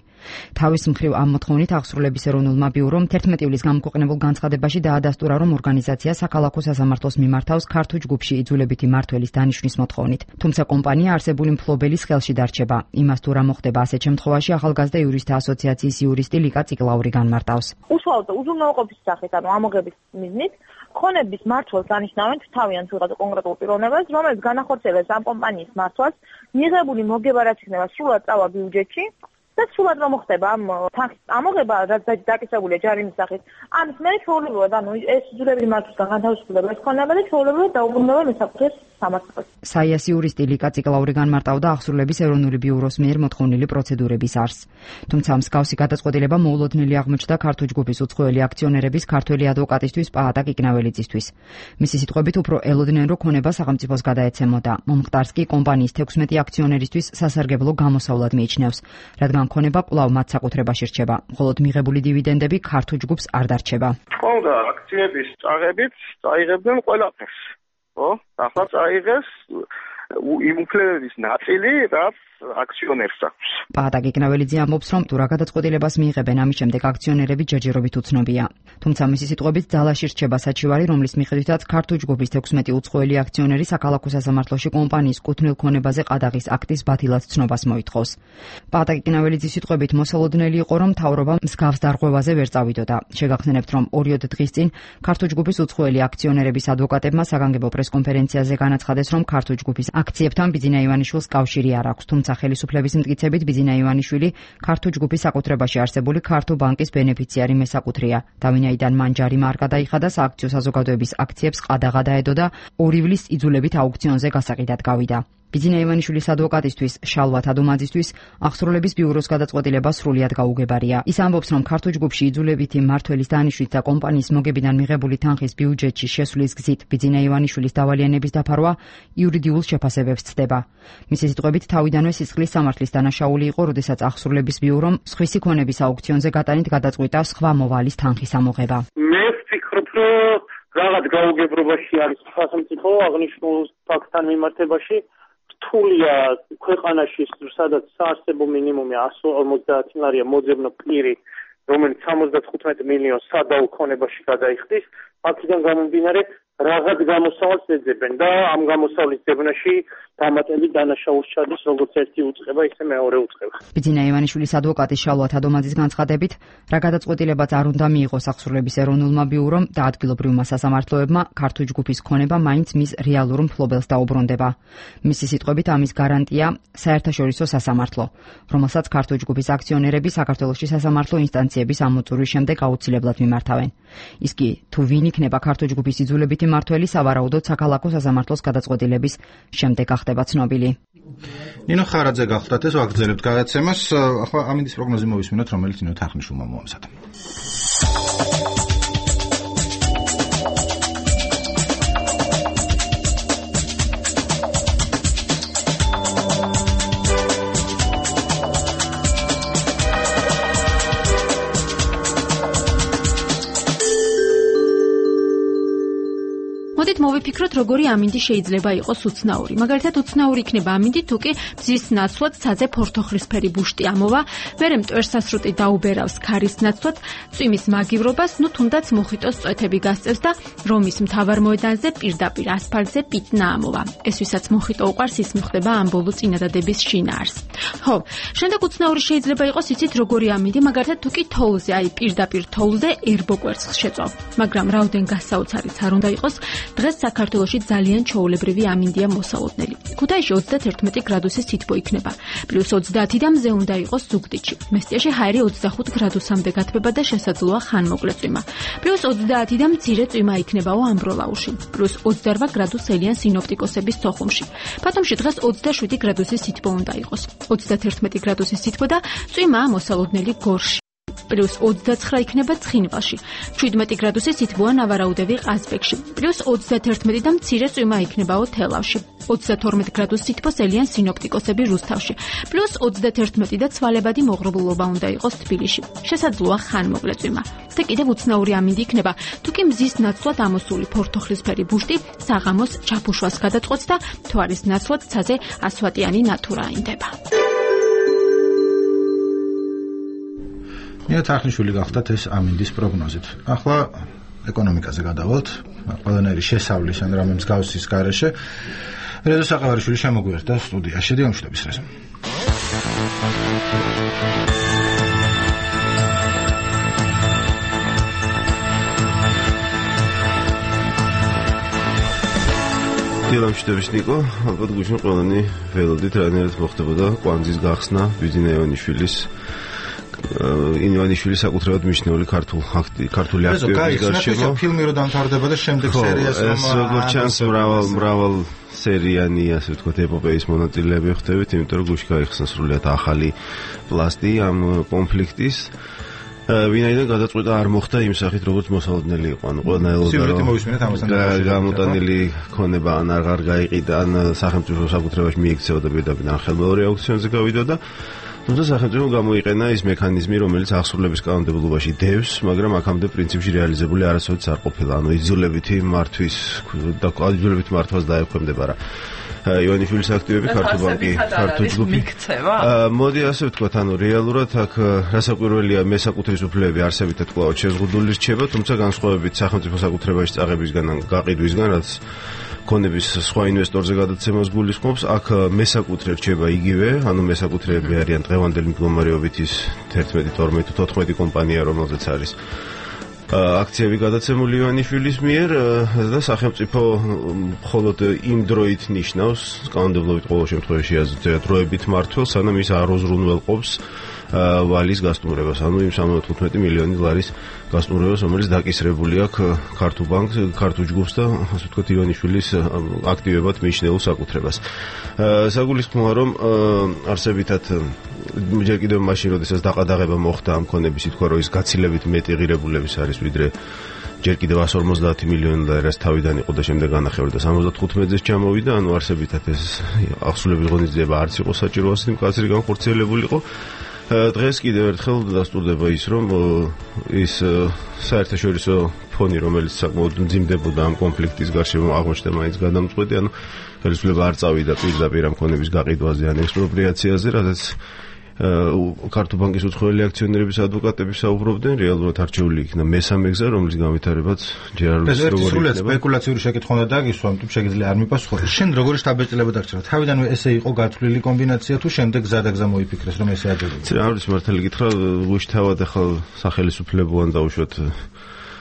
თავის მხრივ ამ მოთხოვნით აღსრულების ეროვნულმა ბიურომ 11 ივლის გამოქვეყნებულ განცხადებაში დაადასტურა, რომ ორგანიზაცია საქალაქო სასამართლოს მიმართავს ქართულ ჯგუფში იძულებითი მმართველის დანიშვნის მოთხოვნით. თუმცა კომპანია არსებული მფლობელის ხელში დარჩება. იმას თუ რა მოხდება ასეთ შემთხვევაში ახალგაზრდა იურისტთა ასოციაციის იურისტი ლიკა ციკლაური განმარტავს. უშუალოდ უზრუნველყოფის სახით, ანუ ამოღების მიზნით, ხონების მმართველს დანიშნავენ თავიანთ ვიღაცა კონკრეტულ პიროვნებას, რომელიც განახორციელებს ამ კომპანიის მმართველს, მიღებული მოგება რაც იქნება სრულად წავა ბიუჯეტში და სრულად რომ მოხდება ამ თანხის ამოღება, რაც დაკისრებულია ჯარიმის სახით. ამის მერე ჩვეულებრივად, ანუ ეს იძულებითი მართვისგან განთავისუფლდება ეს ქონება და ჩვეულებრივად დაუბრუნდება მესაკუთრეს სამართლოს. საიას იურისტი ლიკა ციკლაური განმარტავდა აღსრულების ეროვნული ბიუროს მიერ მოთხოვნილი პროცედურების არსს. თუმცა მსგავსი გადაწყვეტილება მოულოდნელი აღმოჩნდა ქართულ ჯგუფის უცხოელი აქციონერების ქართველი ადვოკატისთვის პაატა კიკნაველიძისთვის. მისი სიტყვებით უფრო ელოდნენ, რომ ქონება სახელმწიფოს გადაეცემოდა. მომხდარს კი კომპანიის 16 აქციონერისთვის სასარგებლო გამოსავლად მიიჩნევს, რადგან ქონება კვლავ მათ საკუთრებაში რჩება, მხოლოდ მიღებული დივიდენდები ქართულ ჯგუფს არ დარჩება. ხონდა აქციების წაღებით წაიღებდნენ ყველაფერს. ახლა წაიღეს იმ უფლებების ნაწილი, რაც აქციონერს აქვს. პაატა კიკნაველიძე ამბობს, რომ თუ რა გადაწყვეტილებას მიიღებენ, ამის შემდეგ აქციონერები ჯერჯერობით უცნობია. თუმცა მისი სიტყვებით ძალაში რჩება საჩივარი, რომლის მიხედვითაც ქართულ ჯგუფის 16 უცხოელი აქციონერი საქალაქო სასამართლოში კომპანიის კუთვნილ ქონებაზე ყადაღის აქტის ბათილად ცნობას მოითხოვს. პაატა კიკნაველიძის სიტყვებით მოსალოდნელი იყო, რომ მთავრობა მსგავს დარღვევაზე ვერ წავიდოდა. შეგახსენებთ, რომ 2 დღის წინ ქართულ ჯგუფის უცხოელი აქციონერების ადვოკატებმა საგანგებო პრესკონფერენციაზე განაცხადეს, რომ ქართულ ჯგუფის აქციებთან ბიძინა ივანიშვილს კავშირი არ აქვს, თუმცა ხელისუფლების მტკიცებით ბიძინა ივანიშვილი ქართულ ჯგუფის საკუთრებაში არსებული ქართულ ბანკის ბენეფიციარი მესაკუთრეა. და ვინაიდან მან ჯარიმა არ გადაიხადა, სააქციო საზოგადოების აქციებს ყადაღა დაედო და 2 ივლის იძულებით აუქციონზე გასაყიდად გავიდა. ბიძინა ივანიშვილის ადვოკატისთვის შალვა თადუმაძისთვის აღსრულების ბიუროს გადაწყვეტილება სრულიად გაუგებარია. ის ამბობს, რომ ქართულ ჯგუფში იძულებითი მმართველის დანიშვნით და კომპანიის მოგებიდან მიღებული თანხის ბიუჯეტში შესვლის გზით ბიძინა ივანიშვილის დავალიანების დაფარვა იურიდიულ შეფასებებს ცდება. მისი სიტყვებით თავიდანვე სისხლის სამართლის დანაშაული იყო, როდესაც აღსრულების ბიურომ სხვისი ქონების აუქციონზე გატანით გადაწყვიტა სხვა მოვალის თანხის ამოღება. მე ვფიქრობ, რომ რაღაც გაუგებრობაში არის სახელმწიფო აღნიშნულ ფაქტთან მიმართებაში. რთულია ქვეყანაში, სადაც საარსებო მინიმუმი 150 ლარია მოძებნო პირი, რომელიც 75 მილიონს სადაო ქონებაში გადაიხდის, აქედან გამომდინარე რაღაც გამოსავალს ეძებენ და ამ გამოსავლის ძებნაში დამატებით დანაშაულს ჩადის როგორც ერთი უწყება, ისე მეორე უწყება. ბიძინა ივანიშვილის ადვოკატის შალვა თადომაძის განცხადებით, რა გადაწყვეტილებაც არ უნდა მიიღოს აღსრულების ეროვნულმა ბიურომ და ადგილობრივმა სასამართლოებმა, ქართულ ჯგუფის ქონება მაინც მის რეალურ მფლობელს დაუბრუნდება. მისი სიტყვებით ამის გარანტია საერთაშორისო სასამართლო, რომელსაც ქართულ ჯგუფის აქციონერები საქართველოში სასამართლო ინსტანციების ამოწურვის შემდეგ აუცილებლად მიმართავენ. ის კი თუ ვინ იქნება ქართულ ჯგუფის იძულებითი მმართველი სავარაუდოდ საქალაქო სასამართლოს გადაწყვეტილების შემდეგ გახდება ცნობილი. ნინო ხარაძე გახლდათ ეს ვაგრძელებთ გადაცემას. ახლა ამინდის პროგნოზი მოვისმინოთ, რომელიც ნინო თახნიშვილმა მოამზადა. მოვიფიქროთ, როგორი ამინდი შეიძლება იყოს უცნაური. მაგალითად, უცნაური იქნება ამინდი, თუ კი მზის ნაცვლად ცაზე ფორთოხლისფერი ბუშტი ამოვა, მერე მტვერსასრუტი დაუბერავს ქარის ნაცვლად, წვიმის მაგივრობას, თუნდაც მოხიტოს წვეთები გასწევს და რომის მთავარ მოედანზე პირდაპირ ასფალტზე პიტნა ამოვა. ეს ვისაც მოხიტო უყვარს, ის მიხვდება ამ ბოლო წინადადების შინაარს. ხო, შემდეგ უცნაური შეიძლება იყოს, იცით, როგორი ამინდი, მაგალითად, თუ კი თოვლზე, პირდაპირ თოვლზე ერბო კვერცხს შეწვავ. მაგრამ რაოდენ გასაოცარიც არ უნდა იყოს, დღეს საქართველოში ძალიან ჩვეულებრივი ამინდია მოსალოდნელი. ქუთაისში 31 გრადუსის თითბო იქნება. +30 და მზე უნდა იყოს ზუგდიდში. მესტიაში ჰაერი 25 გრადუსამდე გათბება და შესაძლოა ხანმოკლე წვიმა. +30 და მცირე წვიმა იქნებაო ამბროლაუში. +28 გრადუს ელიან სინოპტიკოსების სოხუმში. ბათუმში დღეს 27 გრადუსის თითბო უნდა იყოს. 31 გრადუსის თითბო და წვიმა მოსალოდნელი გორში. +29 იქნება ცხინვალში. 17 გრადუსის თითბოა ნავარაუდევი ყაზბეგში. +31 და მცირე წვიმა იქნებაო თელავში. 32 გრადუს თითბოს ელიან სინოპტიკოსები რუსთავში. +31 და ცვალებადი მოღრუბლობა უნდა იყოს თბილისში. შესაძლოა ხანმოკლე წვიმა. და კიდევ უცნაური ამინდი იქნება, თუ კი მზის ნაცვლად ამოსული ფორთოხლისფერი ბუშტი საღამოს ჩაფუშვას გადაწყვეტს და თვარის ნაცვლად ცაზე ასვატიანი ნათურა აინდება. ნინო თახნიშვილი გახლდათ ეს ამინდის პროგნოზით. ახლა ეკონომიკაზე გადავალთ. ყველანაირი შესავლის ან რამე მსგავსის გარეშე. რეზო საყავარიშვილი შემოგვიერთდა სტუდიაში. დიამშვიდობის რეზო. დიამშვიდობის ნიკო, ალბათ გუშინ ყველანი ველოდით რანაირად მოხდებოდა კვანძის გახსნა ბიძინა ივანიშვილის ივანიშვილის საკუთრებად მიჩნეული ქართული აქტივების გარშემო ფილმი რო დამთავრდება და შემდეგ სერიას რომ ეს როგორც ჩანს მრავალ სერიანი ასე ვთქვათ ეპოპეის მონაწილეები ხდებით, იმიტომ რომ გუშინ გაიხსნა სრულიად ახალი პლასტი ამ კონფლიქტის. ვინაიდან გადაწყვეტა არ მოხდა იმ სახით, როგორც მოსალოდნელი იყო. ანუ ყველა ელოდა გამოტანილი ქონება ან აღარ გაიყიდა, ან სახელმწიფო საკუთრებაში მიიქცევა და პირდაპირ ან ხელმეორე აუქციონზე გავიდა და თუმცა სახელმწიფო გამოიყენა ის მექანიზმი, რომელიც აღსრულების კანონმდებლობაში დევს, მაგრამ აქამდე პრინციპში რეალიზებული არასოდეს არ ყოფილა. ანუ იძულებითი მართვის და იძულებით მართვას დაექვემდება რა. ივანიშვილის აქტივები ქართულ ბანკი, ქართულ ჯგუფი მიქცევა. მოდი ასე ვთქვათ, ანუ რეალურად აქ რასაკვირველია მესაკუთრის უფლებები არსებითად კვლავ შეზღუდული რჩება, თუმცა განსხვავებით სახელმწიფო საკუთრებაში წაღებისგან ან გაყიდვისგან, რაც ქონების სხვა ინვესტორზე გადაცემას გულისხმობს, აქ მესაკუთრე რჩება იგივე, ანუ მესაკუთრეები არიან დღევანდელი მდგომარეობით ის 11, 12, 14 კომპანია, რომელზეც არის აქციები გადაცემული ივანიშვილის მიერ და სახელმწიფო მხოლოდ იმ დროით ნიშნავს კანონმდებლობით ყოველ შემთხვევაში დროებით მართვას, სანამ ის არ უზრუნველყოფს ვალის გასტუმრებას, ანუ იმ 75 მილიონი ლარის გასტუმრებას, რომელიც დაკისრებული აქვს ქართულ ბანკს, ქართულ ჯგუფს და ასე ვთქვათ ივანიშვილის აქტივებად მიჩნეულ საკუთრებას. საგულისხმოა, რომ არსებითად ჯერ კიდევ მაშინ, როდესაც დაყადაღება მოხდა ამ ქონების, ითქვა, რომ ის გაცილებით მეტი ღირებულების არის, ვიდრე ჯერ კიდევ 150 მილიონი ლარას თავიდან იყო და შემდეგ განახევრდა 75-ზე ჩამოვიდა, ანუ არსებითად ეს აღსრულების ღონისძიება არც იყო საჭირო ასეთი მკაცრი განხორციელებულიყო. დღეს კიდევ ერთხელ დასტურდება ის, რომ ის საერთაშორისო ფონი, რომელიც საკმაოდ მძიმდებოდა ამ კონფლიქტის გარშემო, აღმოჩნდა მაინც გადამწყვეტი, ანუ ხელისუფლება არ წავიდა პირდაპირ ამ ქონების გაყიდვაზე ან ექსპროპრიაციაზე, რადგან ქართულ ბანკის უცხოელი აქციონერების ადვოკატები საუბრობდნენ, რეალურად არჩეული იქნა მესამე გზა, რომლის განვითარებაც ჯერ არ ვიცი როგორი იქნება. სპეკულაციური შეკითხვა უნდა დაგისვა, ამიტომ შეგიძლია არ მიპასუხოთ. შენ როგორი შტაბ-ეწოდება დაგჭირდა? თავიდანვე ესე იყო გათვლილი კომბინაცია თუ შემდეგ გზადაგზა მოიფიქრეს, რომ ესე აჯობებდა? არ ვიცი, მართალი გითხრა, გუშთავად ახლა სახელისუფლებოვან დაუშვათ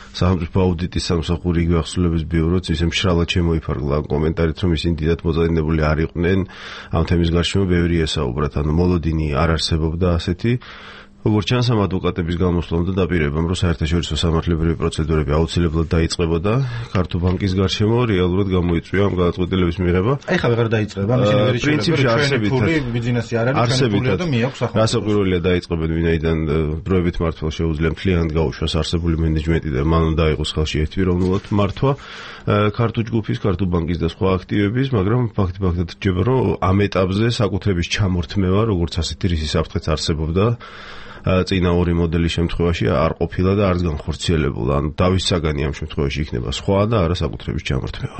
სახელმწიფო აუდიტის სამსახური იგივე აღსრულების ბიუროც ისე მშრალად შემოიფარგლა კომენტარით, რომ ისინი დიდად მოწინააღმდეგე არ იყვნენ ამ თემის გარშემო ბევრი ესაუბრათ, ანუ მოლოდინი არ არსებობდა ასეთი როგორც ჩანს, ამ ადვოკატების გამოსვლამ და დაპირებამ, რომ საერთაშორისო სამართლებრივი პროცედურები აუცილებლად დაიწყებოდა ქართულ ბანკის გარშემო, რეალურად გამოიწვია ამ გადაწყვეტილების მიღება. ეხლა ვეღარ დაიწყება, მაშინ ვერ პრინციპში ბიზნესი არ არის, ჩვენი და მიაქვს ახლა. რასაკვირველია დაიწყებენ, ვინაიდან დროებით მართვა შეუძლია მთლიანად გაუშვას არსებული მენეჯმენტი და მან უნდა იყოს ხელში ერთპიროვნულად მართვა ქართულ ჯგუფის, ქართულ ბანკის და სხვა აქტივების, მაგრამ ფაქტობრივად რჩება, რომ ამ ეტაპზე საკუთრების ჩამორთმევა, როგორც ასეთი რისის საფრთხეც არსებობდა. წინა ორი მოდელის შემთხვევაში არ ყოფილა და არც განხორციელებულა. ანუ დავის საგანი ამ შემთხვევაში იქნება სხვა და არა საკუთრების ჩამორთმევა.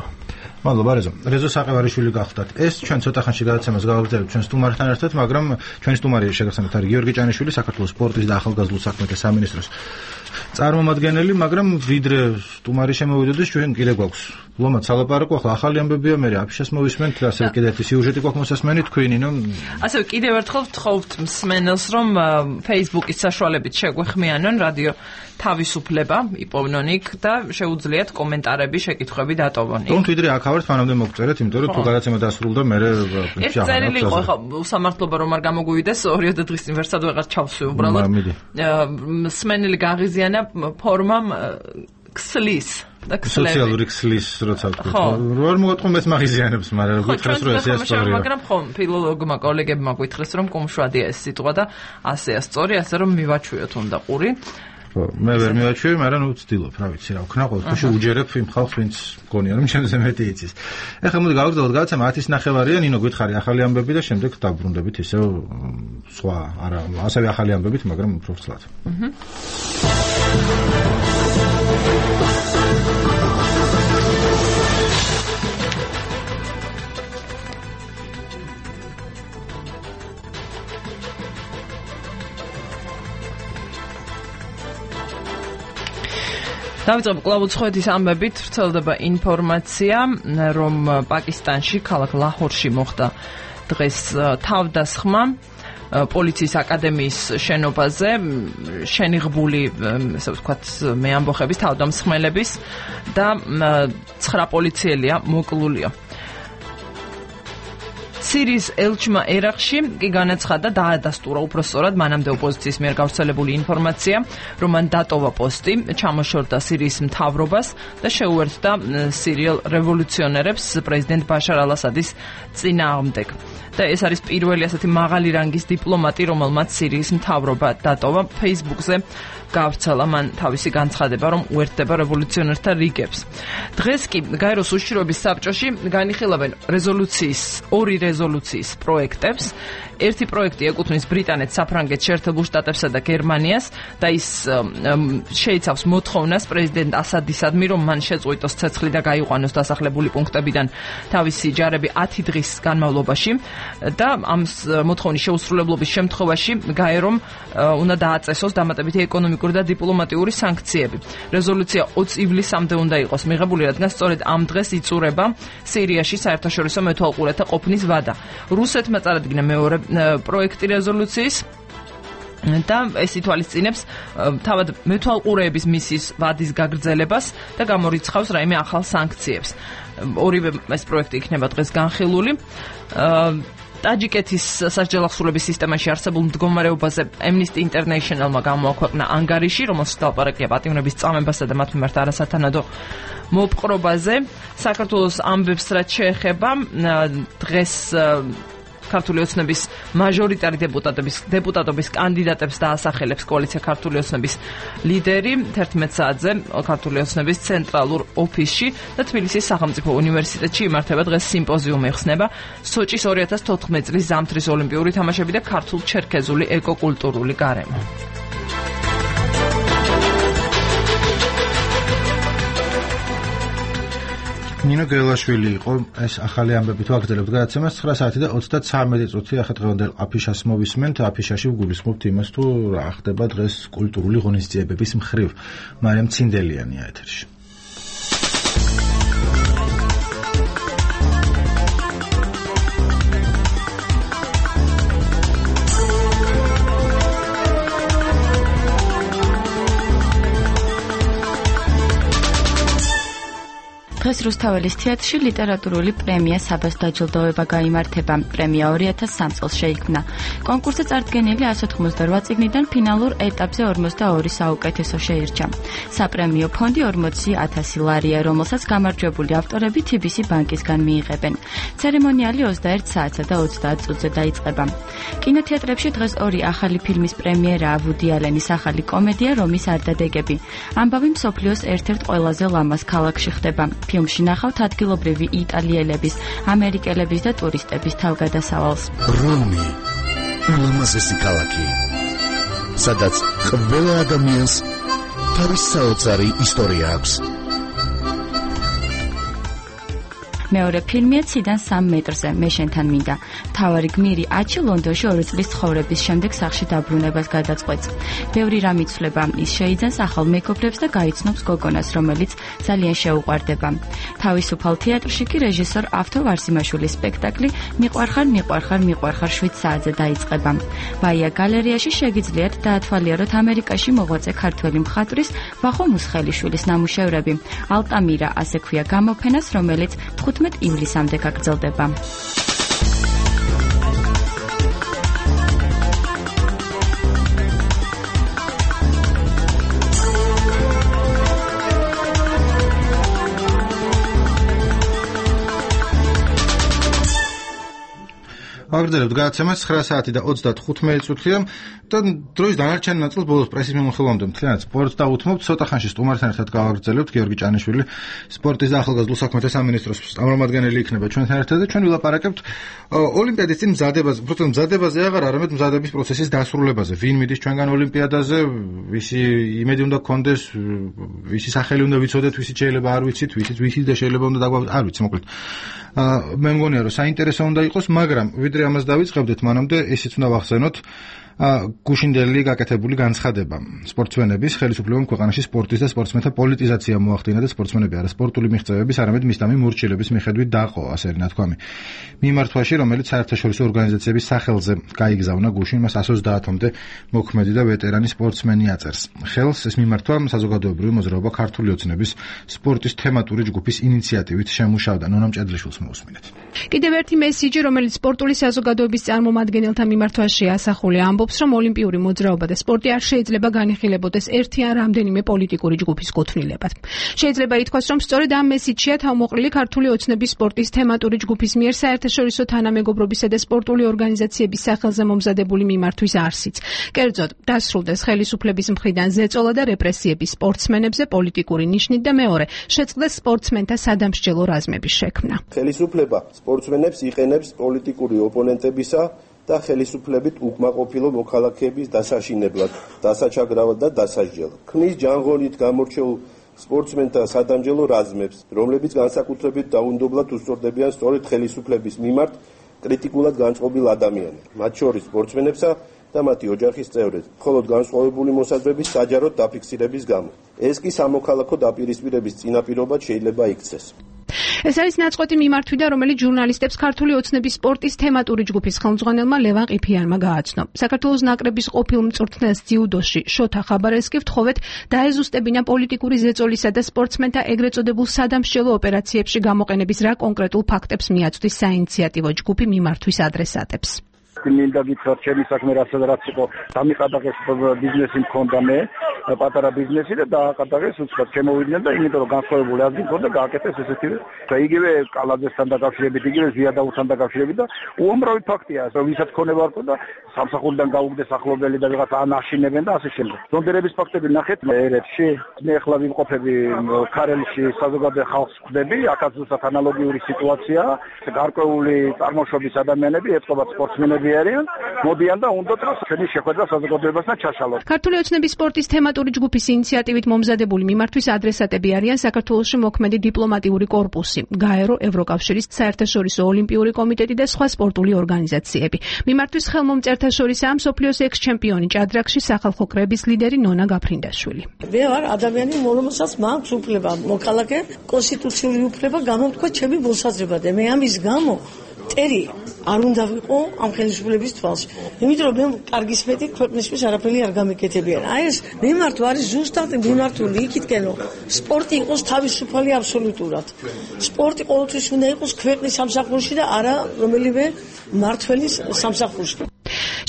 მადლობა რეზო საყევარიშვილი გახდათ. ეს ჩვენ ცოტა ხანში გადაცემას გავაგრძელებთ ჩვენ სტუმართან ერთად, მაგრამ ჩვენი სტუმარი შეგახსენებთ არის გიორგი ჭანიშვილი, საქართველოს სპორტის და ახალგაზრდულ საქმეთა სამინისტროს წარმომადგენელი, მაგრამ ვიდრე სტუმარი შემოვიდოდეს, ჩვენ კიდე გვაქვს ლომად სალაპარაკო, ახლა ახალი ამბებია, მე აფიშას მოვისმენთ, ასე კიდე ერთი სიუჟეტი გვაქვს მოსასმენი თქვენი, ნუ ასევე კიდევ ერთხელ ვთხოვთ მსმენელს, რომ Facebook-ის საშუალებით შეგვეხმიანონ რადიო თავისუფლება იპოვნონ იქ და შეუძლიათ კომენტარები, შეკითხვები დატოვონ. თუმცა ვიდრე აქავერთ მანამდე მოგწერეთ, იმიტომ რომ თუ გადაცემა დასრულდა, მე ეს წერილი იყო, ხო, უსამართლობა რომ არ გამოგვივიდეს 2 დღის წინ ვერსად ვეღარ ჩავსვი უბრალოდ. მსმენელი გაღიზიანა ფორმამ ქსლის და ქსლები. სოციალური ქსლის როცა ვთქვი. რო არ მოგატყობთ მაგიზიანებს, მაგრამ გითხრას რომ ესე ასწორია. მაგრამ ხო, ფილოლოგმა კოლეგებმა გითხრეს რომ კუმშვადია ეს სიტყვა და ასეა სწორი, ასე რომ მივაჩვიოთ უნდა ყური. მე ვერ მივაჩვევი, მაგრამ ნუ ვცდილობ, რა ვიცი რა ვქნა, ყოველთვის უჯერებ იმ ხალხს, ვინც მგონია რომ ჩემზე მეტი იცის. ეხლა მოდი გავაგრძელოთ გადაცემა 10:30-ია, ნინო გითხარი ახალი ამბები და შემდეგ დაბრუნდებით ისევ სხვა, არა, ასევე ახალი ამბებით, მაგრამ უფრო ცლად. დავიწყებ კვლავ უცხოეთის ამბებით, ვრცელდება ინფორმაცია, რომ პაკისტანში, ქალაქ ლაჰორში მოხდა დღეს თავდასხმა პოლიციის აკადემიის შენობაზე, შენიღბული, ესე ვთქვათ, მეამბოხების, თავდამსხმელების და 9 პოლიციელია მოკლულია. სირიის ელჩმა ერაყში კი განაცხადა დაადასტურა უпроსწორად მანამდე ოპოზიციის მიერ გავრცელებული ინფორმაცია, რომ მან დატოვა პოსტი, ჩამოშორდა სირიის მთავრობას და შეუერთდა სირიელ რევოლუციონერებს პრეზიდენტ ბაშარ ალ-ასადის წინააღმდეგ. და ეს არის პირველი ასეთი მაღალი რანგის დიპლომატი, რომელმაც სირიის მთავრობა დატოვა. Facebook-ზე გავრცელა მან თავისი განცხადება, რომ უერთდება რევოლუციონერთა რიგებს. დღეს კი გაეროს უშიშროების საბჭოში განიხილავენ ორი რეზოლუციის პროექტებს. ერთი პროექტი ეკუთვნის ბრიტანეთს, საფრანგეთს, შეერთებულ შტატებსა და გერმანიას და ის შეიცავს მოთხოვნას პრეზიდენტ ასადისადმი, რომ მან შეწყვიტოს ცეცხლი და გაიყვანოს დასახლებული პუნქტებიდან თავისი ჯარები 10 დღის განმავლობაში და ამ მოთხოვნის შეუსრულებლობის შემთხვევაში გაერომ უნდა დააწესოს დამატებითი ეკონომიკური და დიპლომატიური სანქციები. რეზოლუცია 20 ივლისამდე უნდა იყოს მიღებული, რადგან სწორედ ამ დღეს იწურება სირიაში საერთაშორისო მეთვალყურეთა ყოფნის ვადა. რუსეთმა წარადგინა მეორე პროექტი რეზოლუციის და ეს ითვალისწინებს თავად მეთვალყურეების მისიის ვადის გაგრძელებას და გამორიცხავს რაიმე ახალ სანქციებს. ორივე ეს პროექტი იქნება დღეს განხილული. ტაჯიკეთის სასჯელახსოვრების სისტემაში არსებულ მდგომარეობაზე Amnesty International-მა გამოაქვეყნა ანგარიში, რომელშიც დალაპარაკია პატიმრების წამებასა და მათ მიმართ არასათანადო მოპყრობაზე. საქართველოს ამბებს რაც შეეხება დღეს ქართული ოცნების მაჟორიტარი დეპუტატობის კანდიდატებს დაასახელებს კოალიცია ქართული ოცნების ლიდერი 11 საათზე ქართული ოცნების ცენტრალურ ოფისში და თბილისის სახელმწიფო უნივერსიტეტში იმართება დღეს სიმპოზიუმი ეხსნება სოჭის 2014 წლის ზამთრის ოლიმპიური თამაშები და ქართულ-ჩერქეზული ეკოკულტურული გარემო. ნინო გელაშვილი იყო ეს ახალი ამბები თუ აგრძელებთ გადაცემას 9 საათი და 33 წუთი ახლა დღევანდელ აფიშას მოვისმენთ აფიშაში ვგულისხმობთ იმას თუ რა ხდება დღეს კულტურული ღონისძიებების მხრივ მარიამ ცინდელიანია ეთერში. დღეს რუსთაველის თეატრში ლიტერატურული პრემია საბას დაჯილდოება გაიმართება. პრემია 2003 წელს შეიქმნა. კონკურსზე წარდგენილი 188 წიგნიდან ფინალურ ეტაპზე 42 საუკეთესო შეირჩა. საპრემიო ფონდი 40,000 ლარია, რომელსაც გამარჯვებული ავტორები TBC ბანკისგან მიიღებენ. ცერემონიალი 21 საათსა და 30 წუთზე დაიწყება. კინოთეატრებში დღეს ორი ახალი ფილმის პრემიერაა. ვუდი ალენის ახალი კომედია რომის არდადეგები. ამბავი მსოფლიოს ერთ-ერთ ყველაზე ლამაზ ქალაქში ხდება. ფილმში ნახავთ ადგილობრივი იტალიელების, ამერიკელების და ტურისტების თავგადასავალს. რომი ულამაზესი ქალაქი, სადაც ყველა ადამიანს თავის საოცარი ისტორია აქვს. მეორე ფილმია ციდან 3 მეტრზე, მე შენთან მინდა. მთავარი გმირი აჩი ლონდონში 2 წლის ცხოვრების შემდეგ სახლში დაბრუნებას გადაწყვეტს. ბევრი რამ იცვლება, ის შეიძენს ახალ მეგობრებს და გაიცნობს გოგონას, რომელიც ძალიან შეუყვარდება. თავისუფალ თეატრში კი რეჟისორ ავთო ვარსიმაშვილის სპექტაკლი მიყვარხარ 7 საათზე დაიწყება. ბაია გალერეაში შეგიძლიათ დაათვალიეროთ ამერიკაში მოღვაწე ქართველი მხატვრის ვახო მუსხელიშვილის ნამუშევრები. ალტამირა ასე ქვია გამოფენას, რომელიც 15 ივლისამდე გაგრძელდება. ვაგრძელებთ გადაცემას 9 საათი და 35 წუთია და დროის დანარჩენ ნაწილს ბოლოს პრესის მიმოხილვამდე მთლიანად სპორტს დავუთმობთ. ცოტა ხანში სტუმართან ერთად გავაგრძელებთ. გიორგი ჭანიშვილი, სპორტის და ახალგაზრდულ საქმეთა სამინისტროს წარმომადგენელი იქნება ჩვენთან ერთად და ჩვენ ვილაპარაკებთ ოლიმპიადის წინ მზადებაზე აღარ, არამედ მზადების პროცესის დასრულებაზე. ვინ მიდის ჩვენგან ოლიმპიადაზე, ვისი იმედი უნდა გქონდეს, ვისი სახელი უნდა ვიცოდეთ, ვისი შეიძლება არ ვიცით, ვისი და შეიძლება უნდა დაგვაქვს, არ ვიცი, მოკლედ. მე მგონია რომ საინტერესო უნდა იყოს, მაგრამ ვიდრე ამას დავიწყებდეთ, მანამდე ისიც უნდა ვახსენოთ გუშინდელი გაკეთებული განცხადება სპორტსმენების ხელისუფლებამ ქვეყანაში სპორტის და სპორტსმენთა პოლიტიზაცია მოახდინა და სპორტსმენები არა სპორტული მიღწევების, არამედ მისდამი მორჩილების მიხედვით დაყო, ასე ნათქვამი. მიმართვაში, რომელიც საერთაშორისო ორგანიზაციების სახელზე გაიგზავნა გუშინ, მას 130-მდე მოქმედი და ვეტერანი სპორტსმენი აწერს. ხელს ეს მიმართვა საზოგადოებრივი მოძრაობა ქართული ოცნების სპორტის თემატური ჯგუფის ინიციატივით შემუშავდა. ნონა მჭედლიშვილს მოусმინეთ. კიდევ ერთი მესიჯი, რომელიც სპორტული საზოგადოების წარმომადგენელთა მიმართვაში ასახულია, ამბობს, რომ ოლიმპიური მოძრაობა და სპორტი არ შეიძლება განიხილებოდეს ერთი ან რამდენიმე პოლიტიკური ჯგუფის კუთვნილებად. შეიძლება ითქვას, რომ სწორედ ამ მესიჯშია თავმოყრილი ქართული ოცნების სპორტის თემატური ჯგუფის მიერ საერთაშორისო თანამეგობრობისა და სპორტული ორგანიზაციების სახელზე მომზადებული მიმართვის არსიც. კერძოდ, დასრულდეს ხელისუფლების მხრიდან ზეწოლა და რეპრესიები სპორტსმენებზე პოლიტიკური ნიშნით და მეორე, შეწყდეს სპორტსმენთა სადამსჯელო რაზმების შექმნა. ხელისუფლება სპორტსმენებს იყენებს პოლიტიკური ოპონენტებისა და ხელისუფლებით უკმაყოფილო მოქალაქეების დასაშინებლად, დასაჩაგრავად და დასასჯელად. ქმნის ჯანღონით გამორჩეულ სპორტსმენთა სადამსჯელო რაზმებს, რომლებიც განსაკუთრებით დაუნდობლად უსწორდებიან სწორედ ხელისუფლების მიმართ კრიტიკულად განწყობილ ადამიანებს, მათ შორის სპორტსმენებსა და მათი ოჯახის წევრებს, მხოლოდ განსხვავებული მოსაზრების საჯაროდ დაფიქსირების გამო. ეს კი სამოქალაქო დაპირისპირების წინაპირობად შეიძლება იქცეს. ეს არის ნაწყვეტი მიმართვიდა, რომელიც ჟურნალისტებს ქართული ოცნების სპორტის თემატური ჯგუფის ხელმძღვანელმა ლევან ყიფიანმა გააცნო. საქართველოს ნაკრების ყოფილ მწვრთნელს ძიუდოში შოთა ხაბარელსკი ვთხოვეთ დაეზუსტებინა პოლიტიკური ზეწოლისა და სპორტსმენთა ეგრეთ წოდებულ სადამსჯელო ოპერაციებში გამოყენების რა კონკრეტულ ფაქტებს მიაწვდის საინიციატივო ჯგუფი მიმართვის ადრესატებს. მინდა გითხრათ, ჩემი საქმე რაც იყო, დამიყადაღეს ბიზნესი მქონდა მე, პატარა ბიზნესი და დააკადაღეს უცხოდ შემოვიდნენ და იმიტომ რომ განსხვავებული ადგილი მქონდა, გააკეთეს ესეთი და იგივე კალაძესთან დაკავშირებით, იგივე ზიადაუთან დაკავშირებით და უამრავი ფაქტია, რომ ვისაც ქონება არ ქონდა, სამსახურიდან გაუგდეს ახლობელი და ვიღაცა ანაშინებენ და ასე შემდეგ. ზონდერების ფაქტები ნახეთ ერეთში, მე ახლა ვიმყოფები ქარელში, საზოგადო ხალხს ხვდები, აქაც ზუსტად ანალოგიური სიტუაცია, გარკვეული წარმოშობის ადამიანები ეწყობათ სპორტსმენები მოდიან და უნდათ რომ ჩვენი შეხვედრა საზოგადოებასთან ჩაშალოს. ქართული ოცნების სპორტის თემატური ჯგუფის ინიციატივით მომზადებული მიმართვის ადრესატები არიან საქართველოში მოქმედი დიპლომატიური კორპუსი, გაერო, ევროკავშირის საერთაშორისო ოლიმპიური კომიტეტი და სხვა სპორტული ორგანიზაციები. მიმართვის ხელმომწერთა შორისაა მსოფლიოს ექს-ჩემპიონი ჭადრაკში სახალხო კრების ლიდერი ნონა გაფრინდაშვილი. მე ვარ ადამიანი, რომელსაც მაქვს უფლება, მოქალაქე, კონსტიტუციური უფლება გამოვთქვა ჩემი მოსაზრება და მე ამის გამო ტერი არ უნდა ვიყო ამ ხელისუფლების თვალში. იმიტომ რომ მე კარგის მეტი ქვეყნისთვის არაფერი არ გამეკეთებიან. აი ეს მიმართვა არის ზუსტად მიმართული იქითკენ რომ სპორტი იყოს თავისუფალი აბსოლუტურად. სპორტი ყოველთვის უნდა იყოს ქვეყნის სამსახურში და არა რომელიმე მმართველის სამსახურში.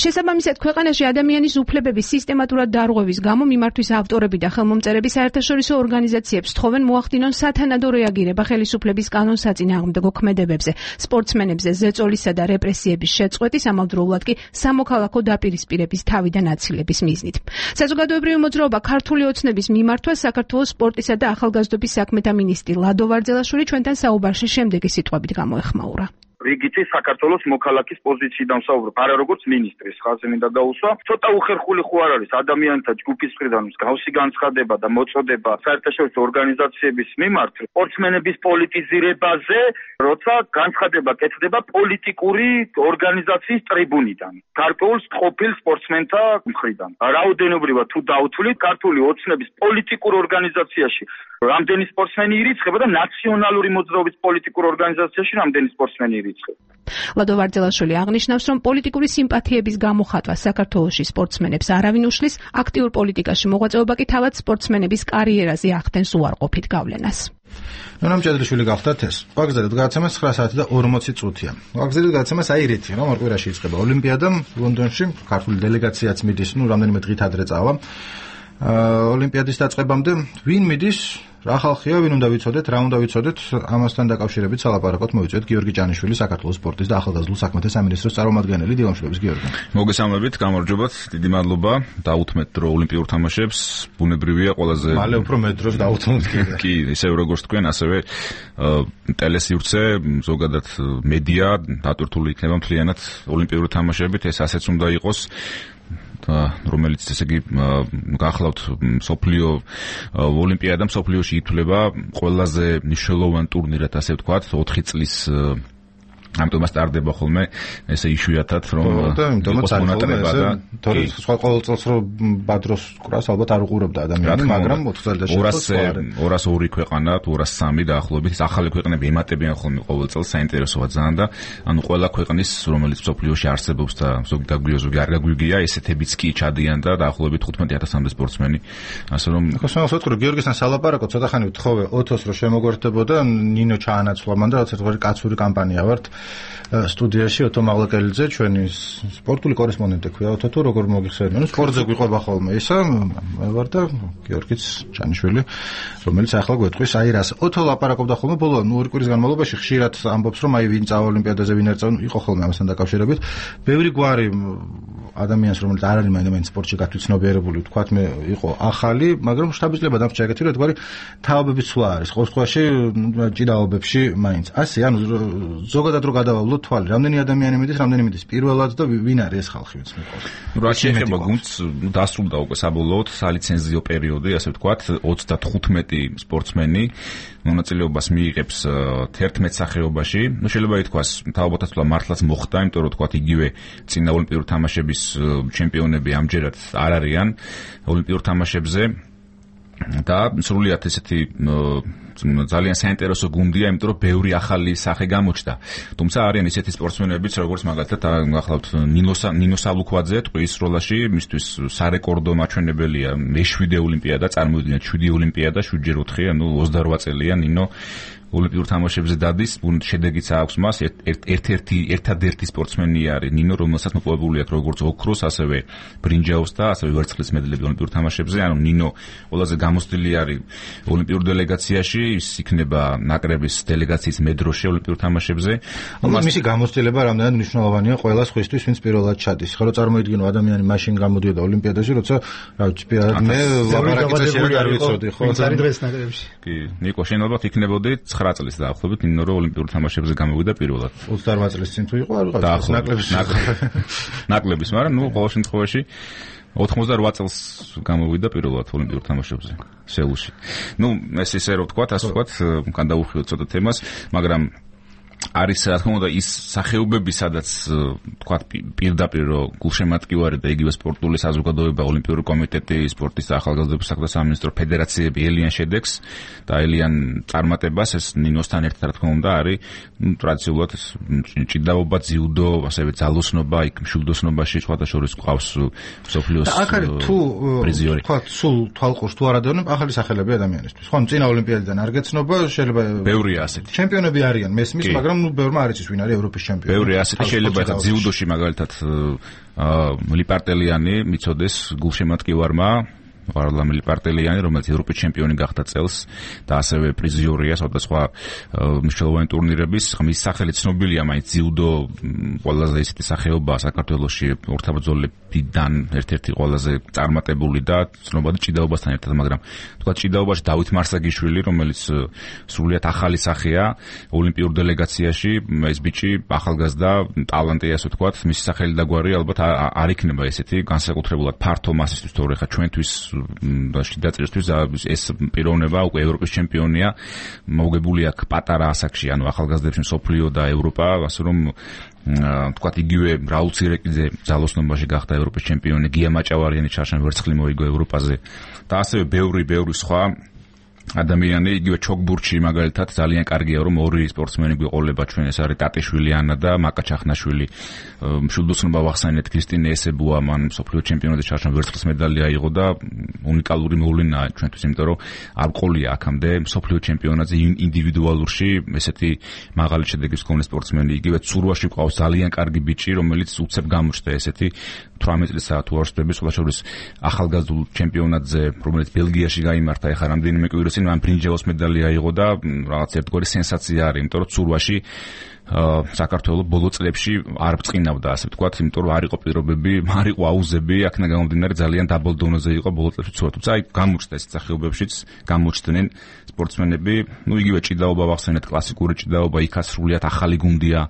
შესაბამისად, ქვეყანაში ადამიანის უფლებების სისტემატურად დარღვევის გამო მიმართვის ავტორები და ხელმომწერები საერთაშორისო ორგანიზაციებს თხოვენ მოახდინონ სათანადო რეაგირება ხელისუფლების კანონსაწინააღმდეგო ქმედებებზე, სპორტსმენებზე ზეწოლისა და რეპრესიების შეწყვეტის, ამავდროულად კი სამოქალაქო დაპირისპირების თავიდან აცილების მიზნით. საზოგადოებრივი მოძრაობა ქართული ოცნების მიმართვა საქართველოს სპორტისა და ახალგაზრდობის საქმეთა მინისტრი ლადო ვარძელაშვილი ჩვენთან საუბარში შემდეგი სიტყვებით გამოეხმაურა. რიგითი საქართველოს მოქალაქის პოზიციიდან ვსაუბრობ, არა როგორც მინისტრის ხაზი მინდა გაუსვა. ცოტა უხერხული ხო არ არის ადამიანთა ჯგუფის მხრიდან მსგავსი განცხადება და მოწოდება საერთაშორისო ორგანიზაციების მიმართ სპორტსმენების პოლიტიზირებაზე, როცა განცხადება კეთდება პოლიტიკური ორგანიზაციის ტრიბუნიდან, გარკვეულ ყოფილ სპორტსმენთა მხრიდან. რაოდენობრივად თუ დავთვლით, ქართული ოცნების პოლიტიკურ ორგანიზაციაში რამდენი სპორტსმენი ირიცხება და ნაციონალური მოძრაობის პოლიტიკურ ორგანიზაციაში რამდენი სპორტსმენი ირიცხება. ლადო ვარძელაშვილი აღნიშნავს, რომ პოლიტიკური სიმპათიების გამოხატვა საქართველოში სპორტსმენებს არავინ უშლის, აქტიურ პოლიტიკაში მოღვაწეობა კი თავად სპორტსმენების კარიერაზე ახდენს უარყოფით გავლენას. ნონა მჭედრიშვილი გახდათ ეს. ვაგზალებთ გადაცემა 9 საათი და 40 წუთია. ვაგზალებთ გადაცემას აი რითი, რომ ორ კვირაში იწყება ოლიმპიადა ლონდონში, ქართული დელეგაციაც მიდის, რამდენიმე დღით ადრე წავა. ოლიმპიადის დაწყებამდე ვინ მიდის? რა ხალხია, ვინ უნდა ვიცოდეთ, რა უნდა ვიცოდეთ, ამასთან დაკავშირებით სალაპარაკოთ მოვიწვიეთ გიორგი ჭანიშვილი, საქართველოს სპორტის და ახალგაზრდულ საქმეთა სამინისტროს წარმომადგენელი. დილამშვიდობის გიორგი. მოგესალმებით, გამარჯობათ, დიდი მადლობა. დაუთმეთ დრო ოლიმპიურ თამაშებს, ბუნებრივია ყველაზე მალე უფრო მეტ დროს დაუთმოთ კიდე. კი, ისევ როგორც თქვენ, ასევე ტელესივრცე, ზოგადად მედია დატვირთული იქნება მთლიანად ოლიმპიური თამაშებით, ეს ასეც უნდა იყოს. რომელიც ესე იგი გახლავთ სოფლიო ოლიმპიადა სოფლიოში ითვლება ყველაზე მნიშვნელოვანი ტურნირად, ასე ვთქვათ, 4 წლის ამიტომ სტარტდება ხოლმე ესე იშვიათად რომ იმიტომაც მონატრება და თორე სხვა ყოველ წელს რომ ბადროს კრას ალბათ არ უყურებდა ადამიანი, მაგრამ 4 წელიწადში 202 ქვეყანა თუ 203 დაახლოებით ახალი ქვეყნები ემატებიან ხოლმე ყოველ წელს, საინტერესოა ძალიან და ანუ ყველა ქვეყნის რომელიც სოფლიოში არსებობს და ზოგი დაგვიო ზოგი არ გაგვიგია, ესეთებიც კი ჩადიან და დაახლოებით 15000-მდე სპორტსმენი, ასე რომ ხოსმას ვთქვი გიორგისთან სალაპარაკო ცოტა ხანი ვთხოვე ოთოს რომ შემოგვერთებოდა, ნინო ჩაანაცვლა მან და რაც ერთგვარი კაცური კამპანია ვართ სტუდიაში ოტო მაღლაკელიძე, ჩვენი სპორტული კორესპონდენტი ქვია ოტო, თუ როგორ მოგიხსენებიან? ნუ სპორტზე გვიყვება ხოლმე ისა, მე ვარ და გიორგიც ჭანიშვილი, რომელიც ახლა გვეტყვის აი რას. ოტო ლაპარაკობდა ხოლმე ბოლო 2 კვირის განმავლობაში, ხშირად ამბობს რომ აი ვინ წავა ოლიმპიადაზე, ვინ არ წავა, იყო ხოლმე ამასთან დაკავშირებით. ბევრი გვარი ადამიანს, რომელიც არ არის მაინც სპორტში გათვითცნობიერებული, ვთქვათ მე, იყო ახალი, მაგრამ შტაბის-ლებად დამჭა ეგეთი რომ თქვარი თავებების ცვლა არის. ყოველ შემთხვევაში ჭიდაობებში მაინც. ასე, ანუ ზოგადად რო გადავავლოთ თვალი, რამდენი ადამიანი მიდის, რამდენი მიდის პირველად და ვინ არის ეს ხალხი, ვინც მიყვარს. რა შეიძლება გუნდს დასრულდა უკვე საბოლოოდ სალიცენზიო პერიოდი, ასე ვთქვათ, 35 სპორტსმენი მონაწილეობას მიიღებს 11 სახეობაში. ნუ შეიძლება ითქვას, თავობათა ცვლა მართლაც მოხდა, იმიტომ რომ თქვათ იგივე წინა ოლიმპიური თამაშების ჩემპიონები ამჯერად არ არიან ოლიმპიურ თამაშებზე და სრულიად ესეთი ძალიან საინტერესო გუნდია, იმიტომ რომ ბევრი ახალი სახე გამოჩნდა. თუმცა არიან ისეთი სპორტსმენებიც, როგორც მაგალითად გახლავთ ნინო სალუქვაძე ტყვის როლაში, მისთვის სარეკორდო მაჩვენებელია მე-7 ოლიმპიადა, წარმოიდგინეთ 7 ოლიმპიადა, 7-ჯერ 4, ანუ 28 წელია ნინო ოლიმპიურ თამაშებზე დადის, შედეგიც აქვს მას, ერთადერთი სპორტსმენი არის ნინო, რომელსაც მოპოვებული აქვს როგორც ოქროს, ასევე ბრინჯაოს და ასევე ვერცხლის მედლები ოლიმპიურ თამაშებზე. ანუ ნინო ყველაზე გამოცდილი არის ოლიმპიურ დელეგაციაში, ის იქნება ნაკრების დელეგაციის მედროში ოლიმპიურ თამაშებზე. მისი გამოცდილება რამდენად მნიშვნელოვანია ყველა სხვისთვის, ვინც პირველად ჩადის. ხო, წარმოიდგინო ადამიანი მაშინ გამოდიოდა ოლიმპიადაში, როცა რა ვიცი, მე ლაპარაკიც არ ვიცოდი, ხო? ვინც არის დღეს ნაკრებში. კი, ნიკო, შენ ალბათ იქნებოდი 9 წლის დაახლოებით, ნინო რომ ოლიმპიურ თამაშებზე გამოვიდა პირველად. 28 წლის წინ თუ იყო, არ ვიყავს ნაკლების, მაგრამ ნუ ყოველ შემთხვევაში 88 წელს გამოვიდა პირველად ოლიმპიურ თამაშებზე სეულში. ნუ ეს ისე რომ ვთქვათ, ასე ვთქვათ, გადავუხიოთ ცოტა თემას, მაგრამ არის რა თქმა უნდა ის სახეობები, სადაც თქვა პირდაპირ გულშემატკივარი და იგივე სპორტული საზოგადოება, ოლიმპიური კომიტეტი, სპორტის და ახალგაზრდების საქმეთა სამინისტრო, ფედერაციები ელიან შედეგს და ელიან წარმატებას, ეს ნინოსთან ერთად რა თქმა უნდა არის ტრადიციულად ჭიდაობა, ძიუდო, ასევე ძალოსნობა, იქ მშვილდოსნობაში სხვადასხვა ყავს მსოფლიოს პრიზიორი. თქვა სულ თვალყურს თუ არადევნებ ახალი სახელები ადამიანისთვის. ხო, წინა ოლიმპიადიდან არ გეცნობა, შეიძლება ბევრია ასეთი. ჩემპიონები არიან მესმის, მაგრამ ბევრმა არ იცის ვინ არის ევროპის ჩემპიონი. ბევრი ასეთი შეიძლება ეხლა ძიუდოში მაგალითად ლიპარტელიანი მიცოდეს გულშემატკივარმა ვარლამ ლიპარტელიანი, რომელიც ევროპის ჩემპიონი გახდა წელს და ასევე პრიზიორია სხვადასხვა მნიშვნელოვანი ტურნირების. მის სახელი ცნობილია, მაინც ძიუდო ყველაზე ისეთი სახეობაა საქართველოში ორთაბრძოლებიდან ერთ-ერთი ყველაზე წარმატებული და ცნობადი ჭიდაობასთან ერთად, მაგრამ თქვა ჭიდაობაში დავით მარსაგიშვილი, რომელიც სრულიად ახალი სახეა ოლიმპიურ დელეგაციაში, ეს ბიჭი ახალგაზრდა ტალანტია, ასე ვთქვათ, მისი სახელი და გვარი ალბათ არ იქნება ესეთი განსაკუთრებულად ფართო მასისთვის, თორე ხა ჩვენთვის დაჭერისთვის ეს პიროვნება უკვე ევროპის ჩემპიონია, მოგებული აქვს პატარა ასაკში, ანუ ახალგაზრდებში მსოფლიო და ევროპა, ასე რომ თქვათ იგივე რაულ ცირეკიძე ძალოსნობაში გახდა ევროპის ჩემპიონი, გია მაჭავარიანი ჩარშან ვერცხლი მოიგო ევროპაზე და ასევე ბევრი სხვა ადამიანი, იგივე ჩოგბურჩი მაგალითად ძალიან კარგია, რომ ორი სპორტსმენი გვიყოლება ჩვენ, ეს არის ტატიშვილი ანა და მაკა ჩახნაშვილი. მშვილდოსნობა ვახსენეთ, ქრისტინე ესებუა, მან მსოფლიო ჩემპიონატზე ჩარშან ვერცხლის მედალი აიღო და უნიკალური მოვლენაა ჩვენთვის, იმიტომ რომ არ ყოლია აქამდე მსოფლიო ჩემპიონატზე ინდივიდუალურში ესეთი მაღალი შედეგის მქონე სპორტსმენი. იგივე ცურვაში ყავს ძალიან კარგი ბიჭი, რომელიც უცებ გამოჩნდა ესეთი 18 წლისა თუ არ ვსწრები, სხვადასხვა ახალგაზრდულ ჩემპიონატზე, რომელიც ბელგიაში გაიმართა, ეხლა რამდენიმე კვირას წინ მან ბრინჯაოს მედალი აიღო და რაღაც ერთგვარი სენსაცია არის, იმიტომ რომ ცურვაში საქართველოს ბოლო წლებში არ ბრწყინავდა, ასე ვთქვათ, იმიტომ რომ არ იყო პირობები, არ იყო აუზები, აქედან გამომდინარე ძალიან დაბალ დონეზე იყო ბოლო წლებში ცურვა. თუმცა აი გამოჩნდა ეს სახეობებშიც გამოჩნდნენ სპორტსმენები, იგივე ჭიდაობა ვახსენეთ, კლასიკური ჭიდაობა, იქაც სრულიად ახალი გუნდია.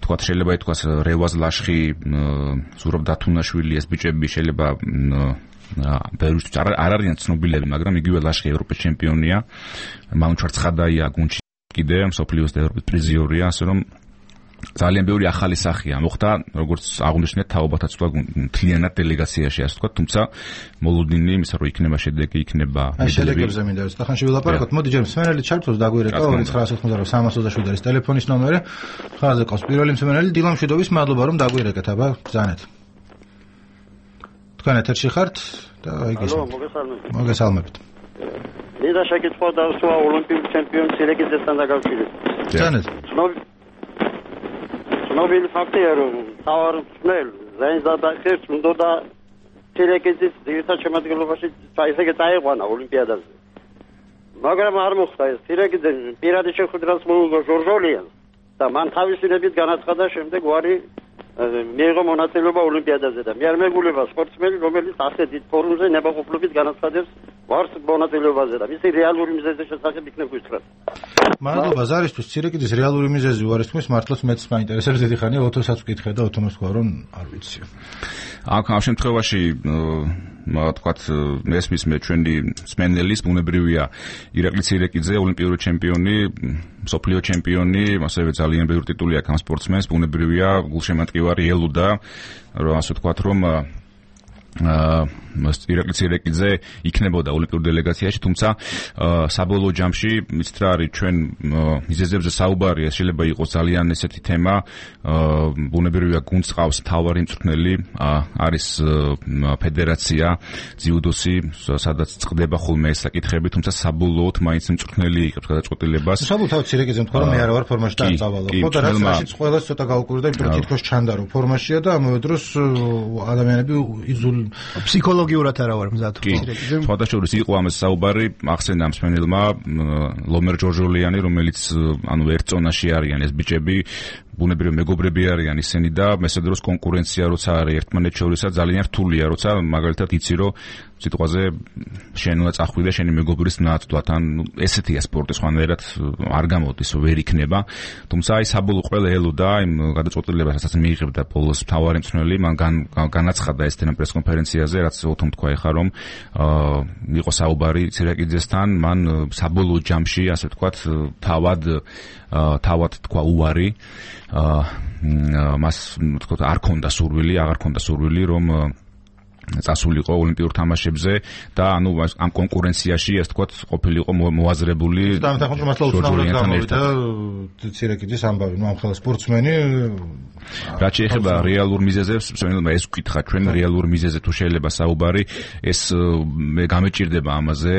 თქვათ შეიძლება ითქვას რევაზ ლაშხი, ზურაბ დათუნაშვილი, ეს ბიჭები შეიძლება ბევრისთვის არ არიან ცნობილები, მაგრამ იგივე ლაშხი ევროპის ჩემპიონია, მანუჩარ ცხადაია გუნდში კიდე მსოფლიოს და ევროპის პრიზიორია, ასე რომ ძალიან ბევრი ახალი სახეა მოხდა, როგორც აღნიშნეთ, თაობათა ცვლა მთლიანად დელეგაციაში, ასე ვთქვათ, თუმცა მოლოდინი იმისა, რომ იქნება შედეგი, იქნება შედეგებზე მინდა რომ ახანში ვილაპარაკოთ. მოდი ჯერ მსმენელი ჩართოს დაგვირეკა 2990 390 ტელეფონის ნომერი. ხაზზე ყავს პირველი მსმენელი დილა მშვიდობის, მადლობა რომ დაგვირეკეთ, აბა ბრძანეთ. თქვენ ეთერში ხართ და მოგესალმებით. მინდა შეკითხვა დასვა ოლიმპიურ ჩემპიონს ცირეკიძესთან დაკავშირებით. ბრძანეთ. ცნობილი ფაქტია, რომ თავარ მსმენელ ზენზა და ხერხს უნდა ცირეკიძის ძირითად შემადგენლობაში ისე წაიყვანა ოლიმპიადაზე. მაგრამ არ მოხდა ეს. ცირეკიძე პირადი შეხვედრას მოუგო ჟორჟოლიანს და მან თავისუფლებით განაცხადა, შემდეგ ვარი მიიღო მონაწილეობა ოლიმპიადაზე და მე არ მეგულება სპორტსმენი, რომელიც ასე დიდ ფორუმზე ნებაყოფლობით განაცხადებს ვარს მონაწილეობაზე და მისი რეალური მიზეზის შესახებ იქნებ გითხრათ. მადლობა ზარისთვის. ცირეკიძის რეალური მიზეზი უარესთქმის მართლაც მეც მაინტერესებს, დიდი ხანია ოთოსაც ვკითხე და ოთომას თქვა რომ არ ვიცი. აქ ამ შემთხვევაში თქვათ მესმის მე ჩვენი სპენდელის ბუნებრივია ირაკლი ცირეკიძე, ოლიმპიური ჩემპიონი, მსოფლიო ჩემპიონი, ასევე ძალიან ბევრი ტიტული აქვს ამ სპორტსმენს, ბუნებრივია გულშემატკივარი ელოდა, რომ ასე ვთქვათ, რომ ირაკლი ცირეკიძე იქნებოდა ოლიმპიურ დელეგაციაში, თუმცა საბოლოო ჯამში იცით რა არის, ჩვენ მიზეზებზე საუბარია, შეიძლება იყოს ძალიან ესეთი თემა, ბუნებრივია გუნდს ყავს მთავარი მწვრთნელი, არის ფედერაცია ძიუდოსი, სადაც წყდება ხოლმე ეს საკითხები, თუმცა საბოლოოდ მაინც მწვრთნელი იღებს გადაწყვეტილებას. საბოლოოდ ცირეკიძემ თქვა რომ მე არ ვარ ფორმაში და წავალო. ხო და რაც ყველას ცოტა გაუკვირდა, იმიტომ რომ თითქოს ჩანდა რომ ფორმაშია და ამავე დროს ადამიანები იზულ ფსიქოლოგიურად არა ვარ მზად. სხვადასხვა იყო ამას საუბარი, ახსენდა მსმენელმა ლომერ ჯორჟოლიანი, რომელიც ანუ ერთ ზონაში არიან ეს ბიჭები, ბუნებრივი მეგობრები არიან ისინი და მესამე დროს კონკურენცია როცა არის ერთმანეთს შორისა ძალიან რთულია, როცა მაგალითად იცი რომ სიტყვაზე შენ უნდა წახვიდე შენი მეგობრის ნაცვლად, ან ესეთია სპორტი სხვანაირად არ გამოდის, ვერ იქნება. თუმცა აი საბოლოო ყველა ელოდა იმ გადაწყვეტილებას, რასაც მიიღებდა ბოლოს მთავარი მწვრთნელი, მან განაცხადა ეს თემა პრესკონფერენციაზე, რაც ოთომ თქვა ეხა რომ იყო საუბარი ცირაკიძესთან, მან საბოლოო ჯამში, ასე ვთქვათ, თავად თქვა უარი, მას თქო არ ქონდა სურვილი, აღარ ქონდა სურვილი რომ წასულიყო ოლიმპიურ თამაშებზე და ანუ ამ კონკურენციაში ასე ვთქვათ ყოფილიყო მოაზრებული და თამაშს მართლა უცნაურად გამოვიდა ცირაკიძის ამბავი, ნუ ამ ხელა სპორტსმენი რაც შეეხება რეალურ მიზეზებს, შემიძლია ეს ვკითხა ჩვენ რეალურ მიზეზზე თუ შეიძლება საუბარი, ეს მე გამეჭირდება ამაზე,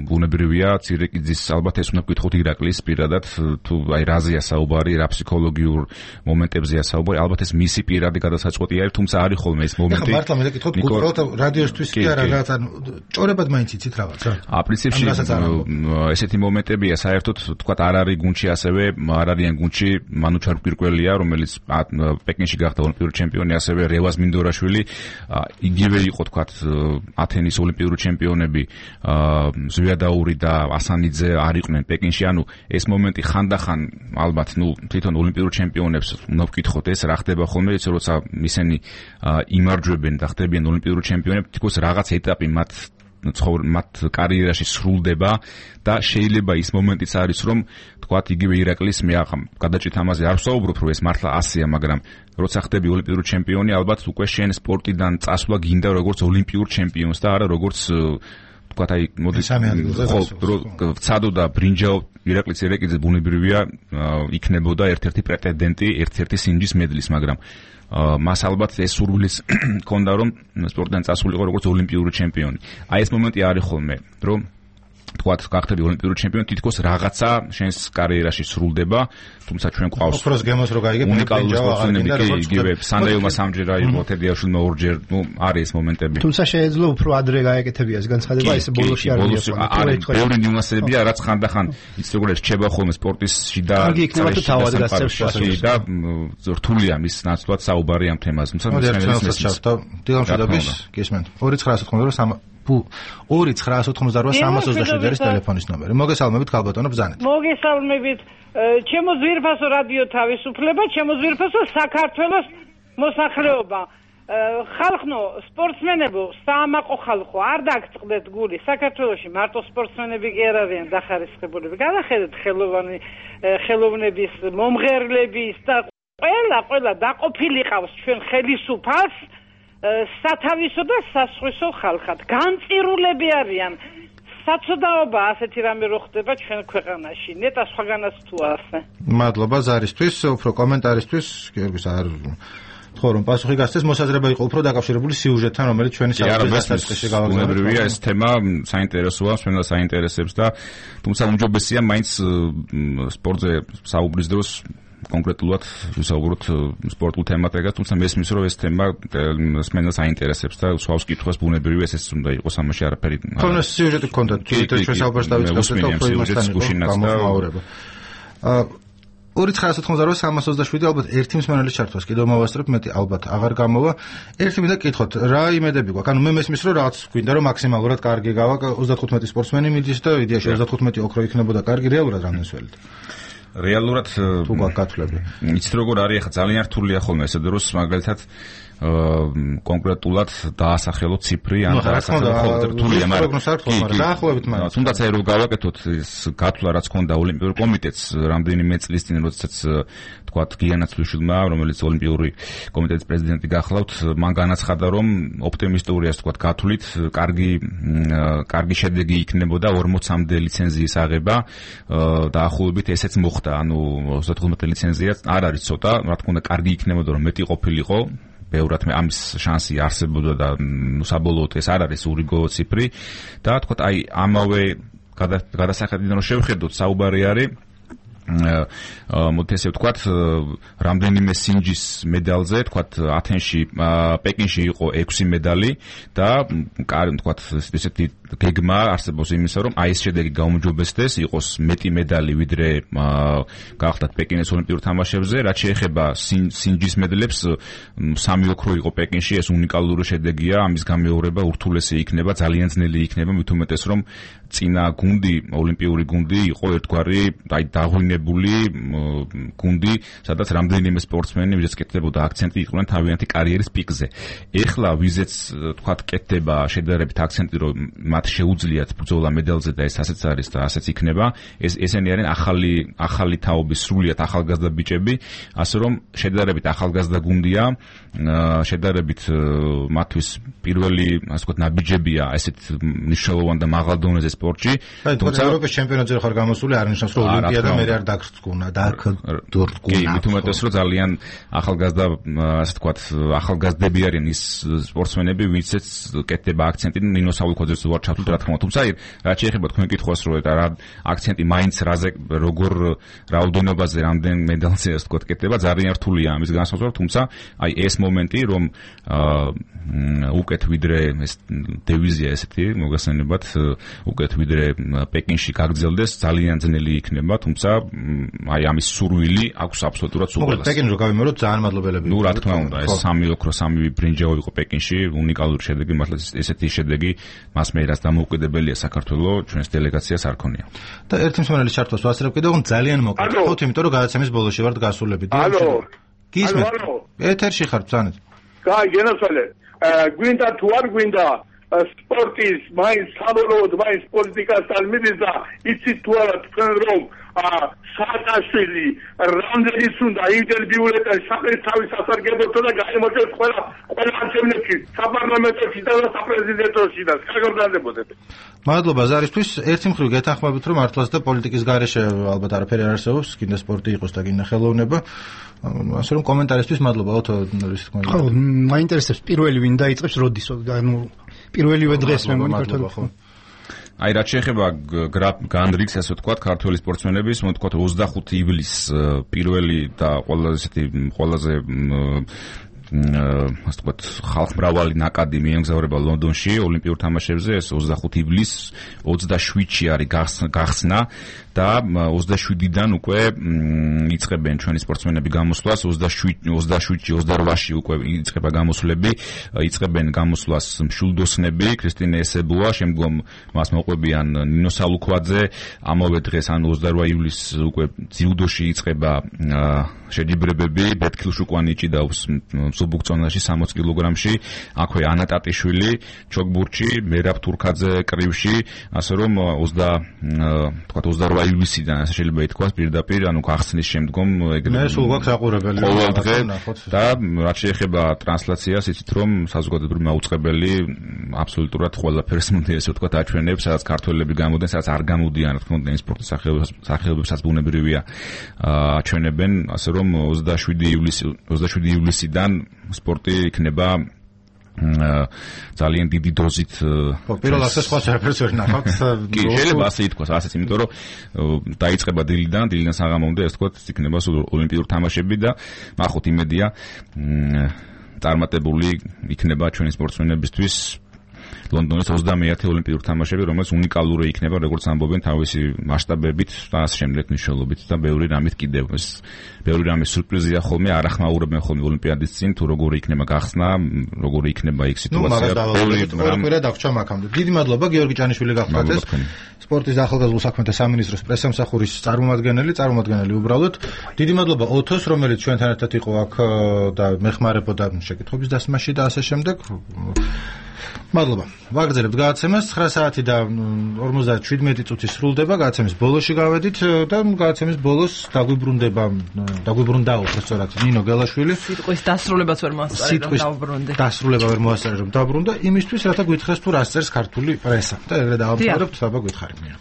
ბუნებრივია, ცირაკიძის ალბათ ეს უნდა ვკითხოთ ირაკლის პირადად, თუ აი რაზეა საუბარი, რა ფსიქოლოგიურ მომენტებზეა საუბარი, ალბათ ეს მისი პირადი გადასაწყვეტი არის, თუმცა არის ხოლმე ეს მომენტი. ეხლა მართლა მე ვკითხოთ გუპროთ რადიოსთვის კი არა რაღაცა ჭორებად მაინც იცით რაღაცა. პრინციპში ესეთი მომენტებია საერთოდ თქვა არ არის გუნდში ასევე, არ არიან გუნდში მანუჩარ პირკველია, რომელიც პეკინში გახდა ოლიმპიური ჩემპიონი, ასევე რევაზ მინდორაშვილი, იგივე იყო თქვა ათენის ოლიმპიური ჩემპიონები, ზვიადაური და ასანიძე არ იყვნენ პეკინში, ანუ ეს მომენტი ხანდახან ალბათ თვითონ ოლიმპიურ ჩემპიონებს უნდა ვკითხოთ ეს რა ხდება ხოლმე, ის როცა ისინი იმარჯვებენ და ხდებიან ოლიმპიური ჩემპიონები, თითქოს რაღაც ეტაპი მათ კარიერაში სრულდება და შეიძლება ის მომენტიც არის რომ თქვათ იგივე ირაკლის მე გადაჭით ამაზე არ ვსაუბრობ რომ ეს მართლა ასეა, მაგრამ როცა ხდები ოლიმპიური ჩემპიონი, ალბათ უკვე შენ სპორტიდან წასვლა გინდა როგორც ოლიმპიურ ჩემპიონს და არა როგორც თქვათ აი მოდი ვცადო და ბრინჯაო ირაკლის ცირაკიძე ბუნებრივია იქნებოდა ერთ-ერთი პრეტენდენტი ერთ-ერთი სინჯის მედლის, მაგრამ მას ალბათ ეს სურვილიც ჰქონდა რომ სპორტიდან წასულიყო როგორც ოლიმპიური ჩემპიონი. აი ეს მომენტი არის ხოლმე, რომ თქვათ გახდები ოლიმპიური ჩემპიონი, თითქოს რაღაცა შენს კარიერაში სრულდება, თუმცა ჩვენ გვყავს ოქროს გემოს რო გაიგებ უნიკალური სპორტსმენები კი იგივე სანდეილმა სამჯერა იყო, თედიაშვილმა ორჯერ, არის ეს მომენტები. თუმცა შეიძლება უფრო ადრე გაეკეთებია ეს განცხადება, ეს ბოლოში არ მიიღო. ბევრი ნიუანსებია, რაც ხანდახან იცი როგორ რჩება ხოლმე სპორტისში და კარგი იქნება თუ თავად გასცემს და რთულია მის ნაცვლად საუბარი ამ თემაზე. თუმცა დილამშვიდობის გისმენთ 298-388 არის ტელეფონის ნომერი. მოგესალმებით ქალბატონო ბზანეთ. მოგესალმებით. ჩემო ძვირფასო რადიო თავისუფლება, ჩემო ძვირფასო საქართველოს მოსახლეობა. ხალხო, სპორტსმენებო, საამაყო ხალხო, არ დაგწყდეთ გული. საქართველოში მარტო სპორტსმენები კი არ არიან დახარისხებულები. გადახედეთ ხელოვნების, მომღერლების და ყველა დაყოფილი ყავს ჩვენ ხელისუფალს სათავისო და სასხვისო ხალხად. განწირულები არიან. საწოდაობა ასეთი რამე რო ხდება ჩვენ ქვეყანაში. ნეტა სხვაგანაც თუ ასე. მადლობა ზარისთვის, უფრო კომენტარისთვის, გიორგის არ ხო რომ პასუხი გასცეს, მოსაზრება იყო უფრო დაკავშირებული სიუჟეტთან, რომელიც ჩვენი საფრთხეში გავაგზავნეთ. ბუნებრივია ეს თემა საინტერესოა, ჩვენს საინტერესებს და თუმცა უმჯობესია მაინც სპორტზე საუბრის დროს კონკრეტულად ვისაუბროთ სპორტულ თემატებად, თუმცა მესმის რომ ეს თემა მსმენელს აინტერესებს და სვავს კითხვას ბუნებრივია ეს უნდა იყოს ამაში არაფერი. თუნდაც სიუჟეტი გქონდათ, თვითონ ჩვენ საუბარს დავიწყებთ და უფრო იმასთან გამომაურება. 298-388 ალბათ ერთი მსმენელის ჩართვას კიდევ მოვასწრებ, მეტი ალბათ აღარ გამოვა. ერთი მინდა კითხოთ, რა იმედები გვაქვს? ანუ მე მესმის რომ რაღაც გვინდა რომ მაქსიმალურად კარგი გავა 35 სპორტსმენი მიდის და იდეაში 35 ოქრო იქნებოდა კარგი, რეალურად რამდენი სველით? რეალურად თუ გაგვაკეთლები. იცით როგორ არის ახლა ძალიან რთულია ხოლმე ესე დროს მაგალითად კონკრეტულად დაასახელო ციფრი ან დაასახელო რთულია, მაგრამ თუნდაც აი რომ გავაკეთოთ ეს გათვლა რაც ქონდა ოლიმპიურ კომიტეტს რამდენიმე წლის წინ, როდესაც თქვათ გიანაცვლიშვილმა, რომელიც ოლიმპიური კომიტეტის პრეზიდენტი გახლავთ, მან განაცხადა რომ ოპტიმისტურია თქვათ გათვლით კარგი შედეგი იქნებოდა 40-მდე ლიცენზიის აღება, დაახლოებით ესეც მოხდა, ანუ 35 ლიცენზია არ არის ცოტა, რა თქმა უნდა კარგი იქნებოდა რომ მეტი ყოფილიყო, ბევრად ამის შანსი არსებობდა და საბოლოოდ ეს არ არის ურიგო ციფრი და თქვათ აი ამავე გადასახედიდან რომ შევხედოთ საუბარი არის მოდი ესე ვთქვათ, რამდენიმე სინჯის მედალზე, ვთქვათ, ათენში, პეკინში იყო 6 მედალი და ვთქვათ, ესეთი გეგმა არსებობს იმისა, რომ აი ეს შედეგი გაუმჯობესდეს, იყოს მეტი მედალი ვიდრე გავხდათ პეკინის ოლიმპიურ თამაშებზე, რაც შეეხება სინჯის მედლებს, 3 ოქრო იყო პეკინში, ეს უნიკალური შედეგია, ამის გამეორება ურთულესი იქნება, ძალიან ძნელი იქნება, მით უმეტეს რომ წინა გუნდი, ოლიმპიური გუნდი იყო ერთგვარი, აი დაღვინებული გუნდი, სადაც რამდენიმე სპორტსმენი, ვიზეც კეთდებოდა აქცენტი იყვნენ თავიანთი კარიერის პიკზე. ეხლა ვიზეც თქვათ კეთდება შედარებით აქცენტი, რომ მათ შეუძლიათ ბრძოლა მედალზე და ეს ასეც არის და ასეც იქნება. ესენი არიან ახალი თაობის სრულიად ახალგაზრდა ბიჭები, ასე რომ შედარებით ახალგაზრდა გუნდია, შედარებით მათთვის პირველი, ასე ვთქვათ, ნაბიჯებია ესეთ მნიშვნელოვან და მაღალ დონეზე სპორტში. თუმცა ევროპის ჩემპიონატზე ხარ გამოსული, არ ნიშნავს რომ ოლიმპიადა მე არ დაგრწკუნა. კი, მით უმეტეს რომ ძალიან ახალგაზრდა, ასე ვთქვათ, ახალგაზრდები არიან ის სპორტსმენები, ვინცეც კეთდება აქცენტი ნინო სავიკოძეს ვარ ჩართული, რა თქმა უნდა. თუმცა რაც შეეხება თქვენ კითხვას, რომ რა აქცენტი მაინც რაზე როგორ რაოდენობაზე რამდენ მედალზე ასე ვთქვათ კეთდება, ძალიან რთულია ამის განსაზღვრა, თუმცა აი ეს მომენტი, რომ უკეთ ვიდრე ეს დივიზია ესეთი მოგასწრებათ, უკეთ ვიდრე პეკინში გაგრძელდეს, ძალიან ძნელი იქნება, თუმცა აი ამის სურვილი აქვს აბსოლუტურად სულ. პეკინში რო გავიმეოროთ, ძალიან მადლობელები. ნუ რა თქმა უნდა, ეს 3 ოქრო, 3 ბრინჯაო იყო პეკინში, უნიკალური შედეგი, მართლა ესეთი შედეგი მას მე რაც დამოუკიდებელია საქართველოს ჩვენს დელეგაციას არ ქონია. და ერთი მსმენელის ჩართვას ვასწრებ კიდევ ძალიან მოკლედ, ხო, იმიტომ რომ გადაცემის ბოლოში ვართ გასულები. ალო. გისმენთ? ეთერში ხართ, ბრძანეთ. კაი, გენაცვალე. გვინდა თუ არ გვინდა სპორტის მაინც საბოლოოდ მაინც პოლიტიკასთან მიდის და იცით თუ არა თქვენ რომ სააკაშვილი რამდენიც უნდა ინტერვიულებთან საკუთარი სასარგებლო და გამოიწვევს ყველა ანჩევნებში საპარლამენტოში და საპრეზიდენტოში და საგორდანდებოდეთ. მადლობა ზარისთვის. ერთი მხრივ გეთანხმებით რომ მართლაც და პოლიტიკის გარეშე ალბათ არაფერი არ არსებობს, კიდე სპორტი იყოს და კიდე ხელოვნება. ასე რომ კომენტარისთვის მადლობა. ოთო ის თქმა უნდა. ხო, მაინტერესებს პირველი ვინ დაიწყებს როდის, ანუ პირველივე დღეს მე მგონი ქართული. აი რაც შეეხება განრიგს, ასე ვთქვათ, ქართველი სპორტსმენების, მე ვთქვათ 25 ივლისს პირველი და ყველაზე ასე ვთქვათ, ხალხმრავალი ნაკადი მიემგზავრება ლონდონში ოლიმპიურ თამაშებზე, ეს 25 ივლისს 27-ში არის გახსნა და 27-დან უკვე იწყებენ ჩვენი სპორტსმენები გამოსვლას, 27-28-ში უკვე იწყება გამოსვლები, იწყებენ გამოსვლას მშვილდოსნები, ქრისტინე ესებუა, შემდგომ მას მოყვებიან ნინო სალუქვაძე, ამავე დღეს ანუ 28 ივლისს უკვე ძიუდოში იწყება შეჯიბრებები, ბეთქილ შუკვანიჭი და სუბუქწონაში 60 კილოგრამში, აქვე ანა ტატიშვილი, ჩოგბურჩი, მერაბ თურქაძე კრივში, ასე რომ 28 ივლისიდან ასე შეიძლება ითქვას პირდაპირ, ანუ გახსნის შემდგომ ეგრევე. მე სულ გვაქვს აყურებელი. ყოველ დღე და რაც შეეხება ტრანსლაციას, იცით რომ საზოგადოებრივი მაუწყებელი აბსოლუტურად ყველაფერს მოდი ესე ვთქვათ აჩვენებს, სადაც ქართველები გამოდიან, სადაც არ გამოდიან, რა თქმა უნდა, სპორტის სახეობებსაც ბუნებრივია აჩვენებენ, ასე რომ 27 ივლისიდან სპორტი იქნება ძალიან დიდი დოზით. პირველ ასეს სხვა არაფერს ვერ ნახავთ. კი, შეიძლება ასე ითქვას, ასეც, იმიტომ რომ დაიწყება დილიდან საღამომდე, ასე ვთქვათ, იქნება ოლიმპიური თამაშები და მახოთ იმედია წარმატებული იქნება ჩვენი სპორტსმენებისთვის ლონდონის 21 ოლიმპიური თამაშები, რომელიც უნიკალური იქნება, როგორც ამბობენ, თავისი მასშტაბებით და ასე შემდეგ მნიშვნელობით და ბევრი რამით კიდევ. ეს ბევრი რამის სურპრიზია ხოლმე, არ ახმაურებენ ხოლმე ოლიმპიადის წინ, თუ როგორი იქნება გახსნა, როგორი იქნება იქ სიტუაცია. ყველაფერა დაგვრჩა მაგამდე. დიდი მადლობა გიორგი ჭანიშვილი გახლავთ ეს სპორტის და ახალგაზრდულ საქმეთა სამინისტროს პრესამსახურის წარმომადგენელი უბრალოდ. დიდი მადლობა ოთოს, რომელიც ჩვენთან ერთად იყო აქ და მეხმარებოდა შეკითხვების დასმაში და ასე შემდეგ. მადლობა. ვაგრძელებთ გადაცემას 9 საათი და 57 წუთი სრულდება, გადაცემის ბოლოში გავედით და გადაცემის ბოლოს დაგვიბრუნდა უბრალოდ ნინო გელაშვილი. სიტყვის დასრულებაც ვერ მოასწარე რომ დავბრუნდე. დასრულება ვერ მოასწარე რომ დავბრუნდა, იმისთვის რათა გვითხრეს თუ რას წერს ქართული პრესა. და ეგრე დავამთავრებთ, საბა გითხარით ნინო.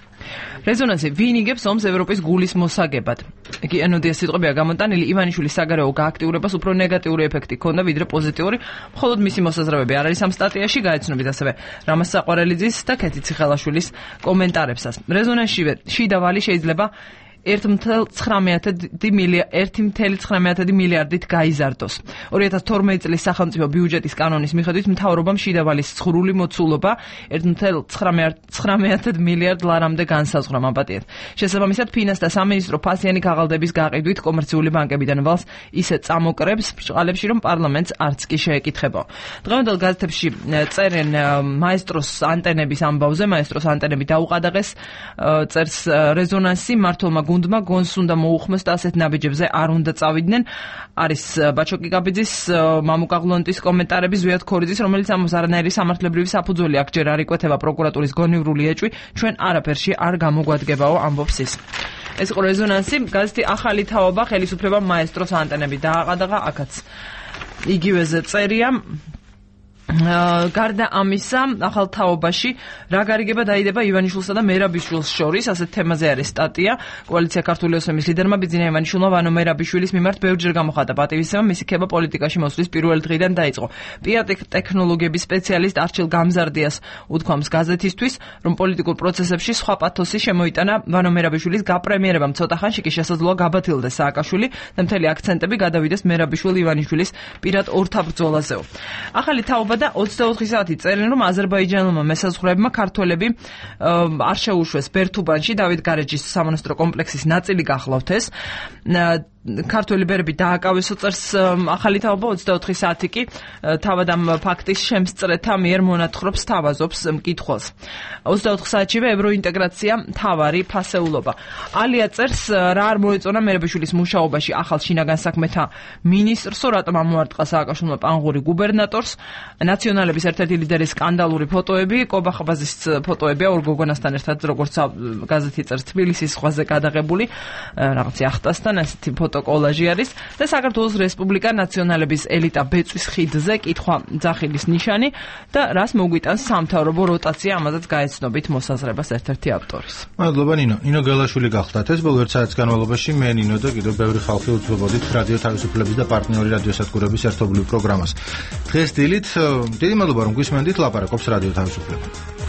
რეზონანსი ვინ იგებს ომს ევროპის გულის მოსაგებად? იგი ენოდია სიტყვებია გამოტანილი ივანიშვილის საგარეო გააქტიურებას უფრო ნეგატიური ეფექტი ჰქონდა ვიდრე პოზიტიური, მხოლოდ მისი მოსაზრებები არ არის ამ სტატიაში, გაეცნობით ასევე რამაზ საყვარელიძის და ქეთი ციხელაშვილის კომენტარებსაც. რეზონანსში შიდა ვალი შეიძლება 1.19 მილიარდით გაიზარდოს. 2012 წლის სახელმწიფო ბიუჯეტის კანონის მიხედვით მთავრობამ შიდავალის ცხრული მოცულობა 1.19 მილიარდ ლარამდე განსაზღვრა მაპატიეთ. შესაბამისად, ფინანსთა სამინისტრო ფასიანი ქაღალდების გაყიდვით კომერციული ბანკებიდან ვალს ისე წამოკრებს ბრჭყალებში, რომ პარლამენტს არც კი შეეკითხება. დღევანდელ გაზეთებში წერენ მაესტროს ანტენების ამბავზე, მაესტროს ანტენები დაუყადაღეს, წერს რეზონანსი, მართლმა გუნდმა გონს უნდა მოუხმოს და ასეთ ნაბიჯებზე არ უნდა წავიდნენ. არის ბაჩოკი გაბიძის, მამუკა ღლონტის კომენტარები, ზვიად ქორიძის, რომელიც ამბობს არანაირი სამართლებრივი საფუძველი აქ ჯერ არ იკვეთება პროკურატურის გონივრული ეჭვი, ჩვენ არაფერში არ გამოგვადგებაო, ამბობს ის. ეს იყო რეზონანსი, გაზეთი ახალი თაობა, ხელისუფლებამ მაესტროს ანტენები დააყადაღა, აქაც იგივეზე წერია. გარდა ამისა, ახალ თაობაში რა გარიგება დაიდება ივანიშვილსა და მერაბიშვილს შორის, ასეთ თემაზე არის სტატია. კოალიცია ქართული ოსმის ლიდერმა ბიძინა ივანიშვილმა ვანო მერაბიშვილის მიმართ ბევრჯერ გამოხატა პატივისცემა, მისი ქება პოლიტიკაში მოსვლის პირველი დღიდან დაიწყო. ტექნოლოგიების სპეციალისტ არჩილ გამზარდიას უთქვამს გაზეთისთვის, რომ პოლიტიკურ პროცესებში სხვა პათოსი შემოიტანა ვანო მერაბიშვილის გაპრემიერებამ, ცოტა ხანში კი შესაძლოა გაბათილდეს სააკაშვილი და მთელი აქცენტები გადავიდეს მერაბიშვილი ივანიშვილის პირად ორთაბრძოლაზეო. ახალი თაობა და 24 საათი წერენ, რომ აზერბაიჯანულმა მესაზღვრეებმა ქართველები არ შეუშვეს ბერთუბანში დავით გარეჯის სამონასტრო კომპლექსის ნაწილი გახლავთ ეს. ქართველი ბერები დააკავესო, წერს ახალი თაობა. 24 საათი კი თავად ამ ფაქტის შემსწრეთა მიერ მონათხრობს, თავაზობს მკითხველს. 24 საათშივე ევროინტეგრაცია მთავარი ფასეულობა. ალია წერს, რა არ მოეწონა მერაბიშვილის მუშაობაში ახალ შინაგან საქმეთა მინისტრსო, რატომ ამოარტყა სააკაშვილმა პანგური გუბერნატორს. ნაციონალების ერთ-ერთი ლიდერის სკანდალური ფოტოები, კობახაბაზის ფოტოებია ორ გოგონასთან ერთად, როგორც გაზეთი წერს, თბილისის ზღვაზე გადაღებული, რაღაც იახტასთან ასეთი ფოტოკოლაჟი არის და საქართველოს რესპუბლიკა ნაციონალების ელიტა ბეწვის ხიდზე, კითხვა ძახილის ნიშანი და რას მოგვიტანს სამთავრობო როტაცია, ამაზეც გაეცნობით მოსაზრებას ერთ-ერთი ავტორის. მადლობა ნინო. ნინო გელაშვილი გახდათ ეს ბოლო 1 საათის განმავლობაში მე ნინო და კიდევ ბევრი ხალხი უძღვებოდით რადიო თავისუფლების და პარტნიორი რადიოსადგურების ერთობლივ პროგრამას. დღეს დილით დიდი მადლობა რომ გვისმენდით, ლაპარაკობს რადიო თავისუფლება.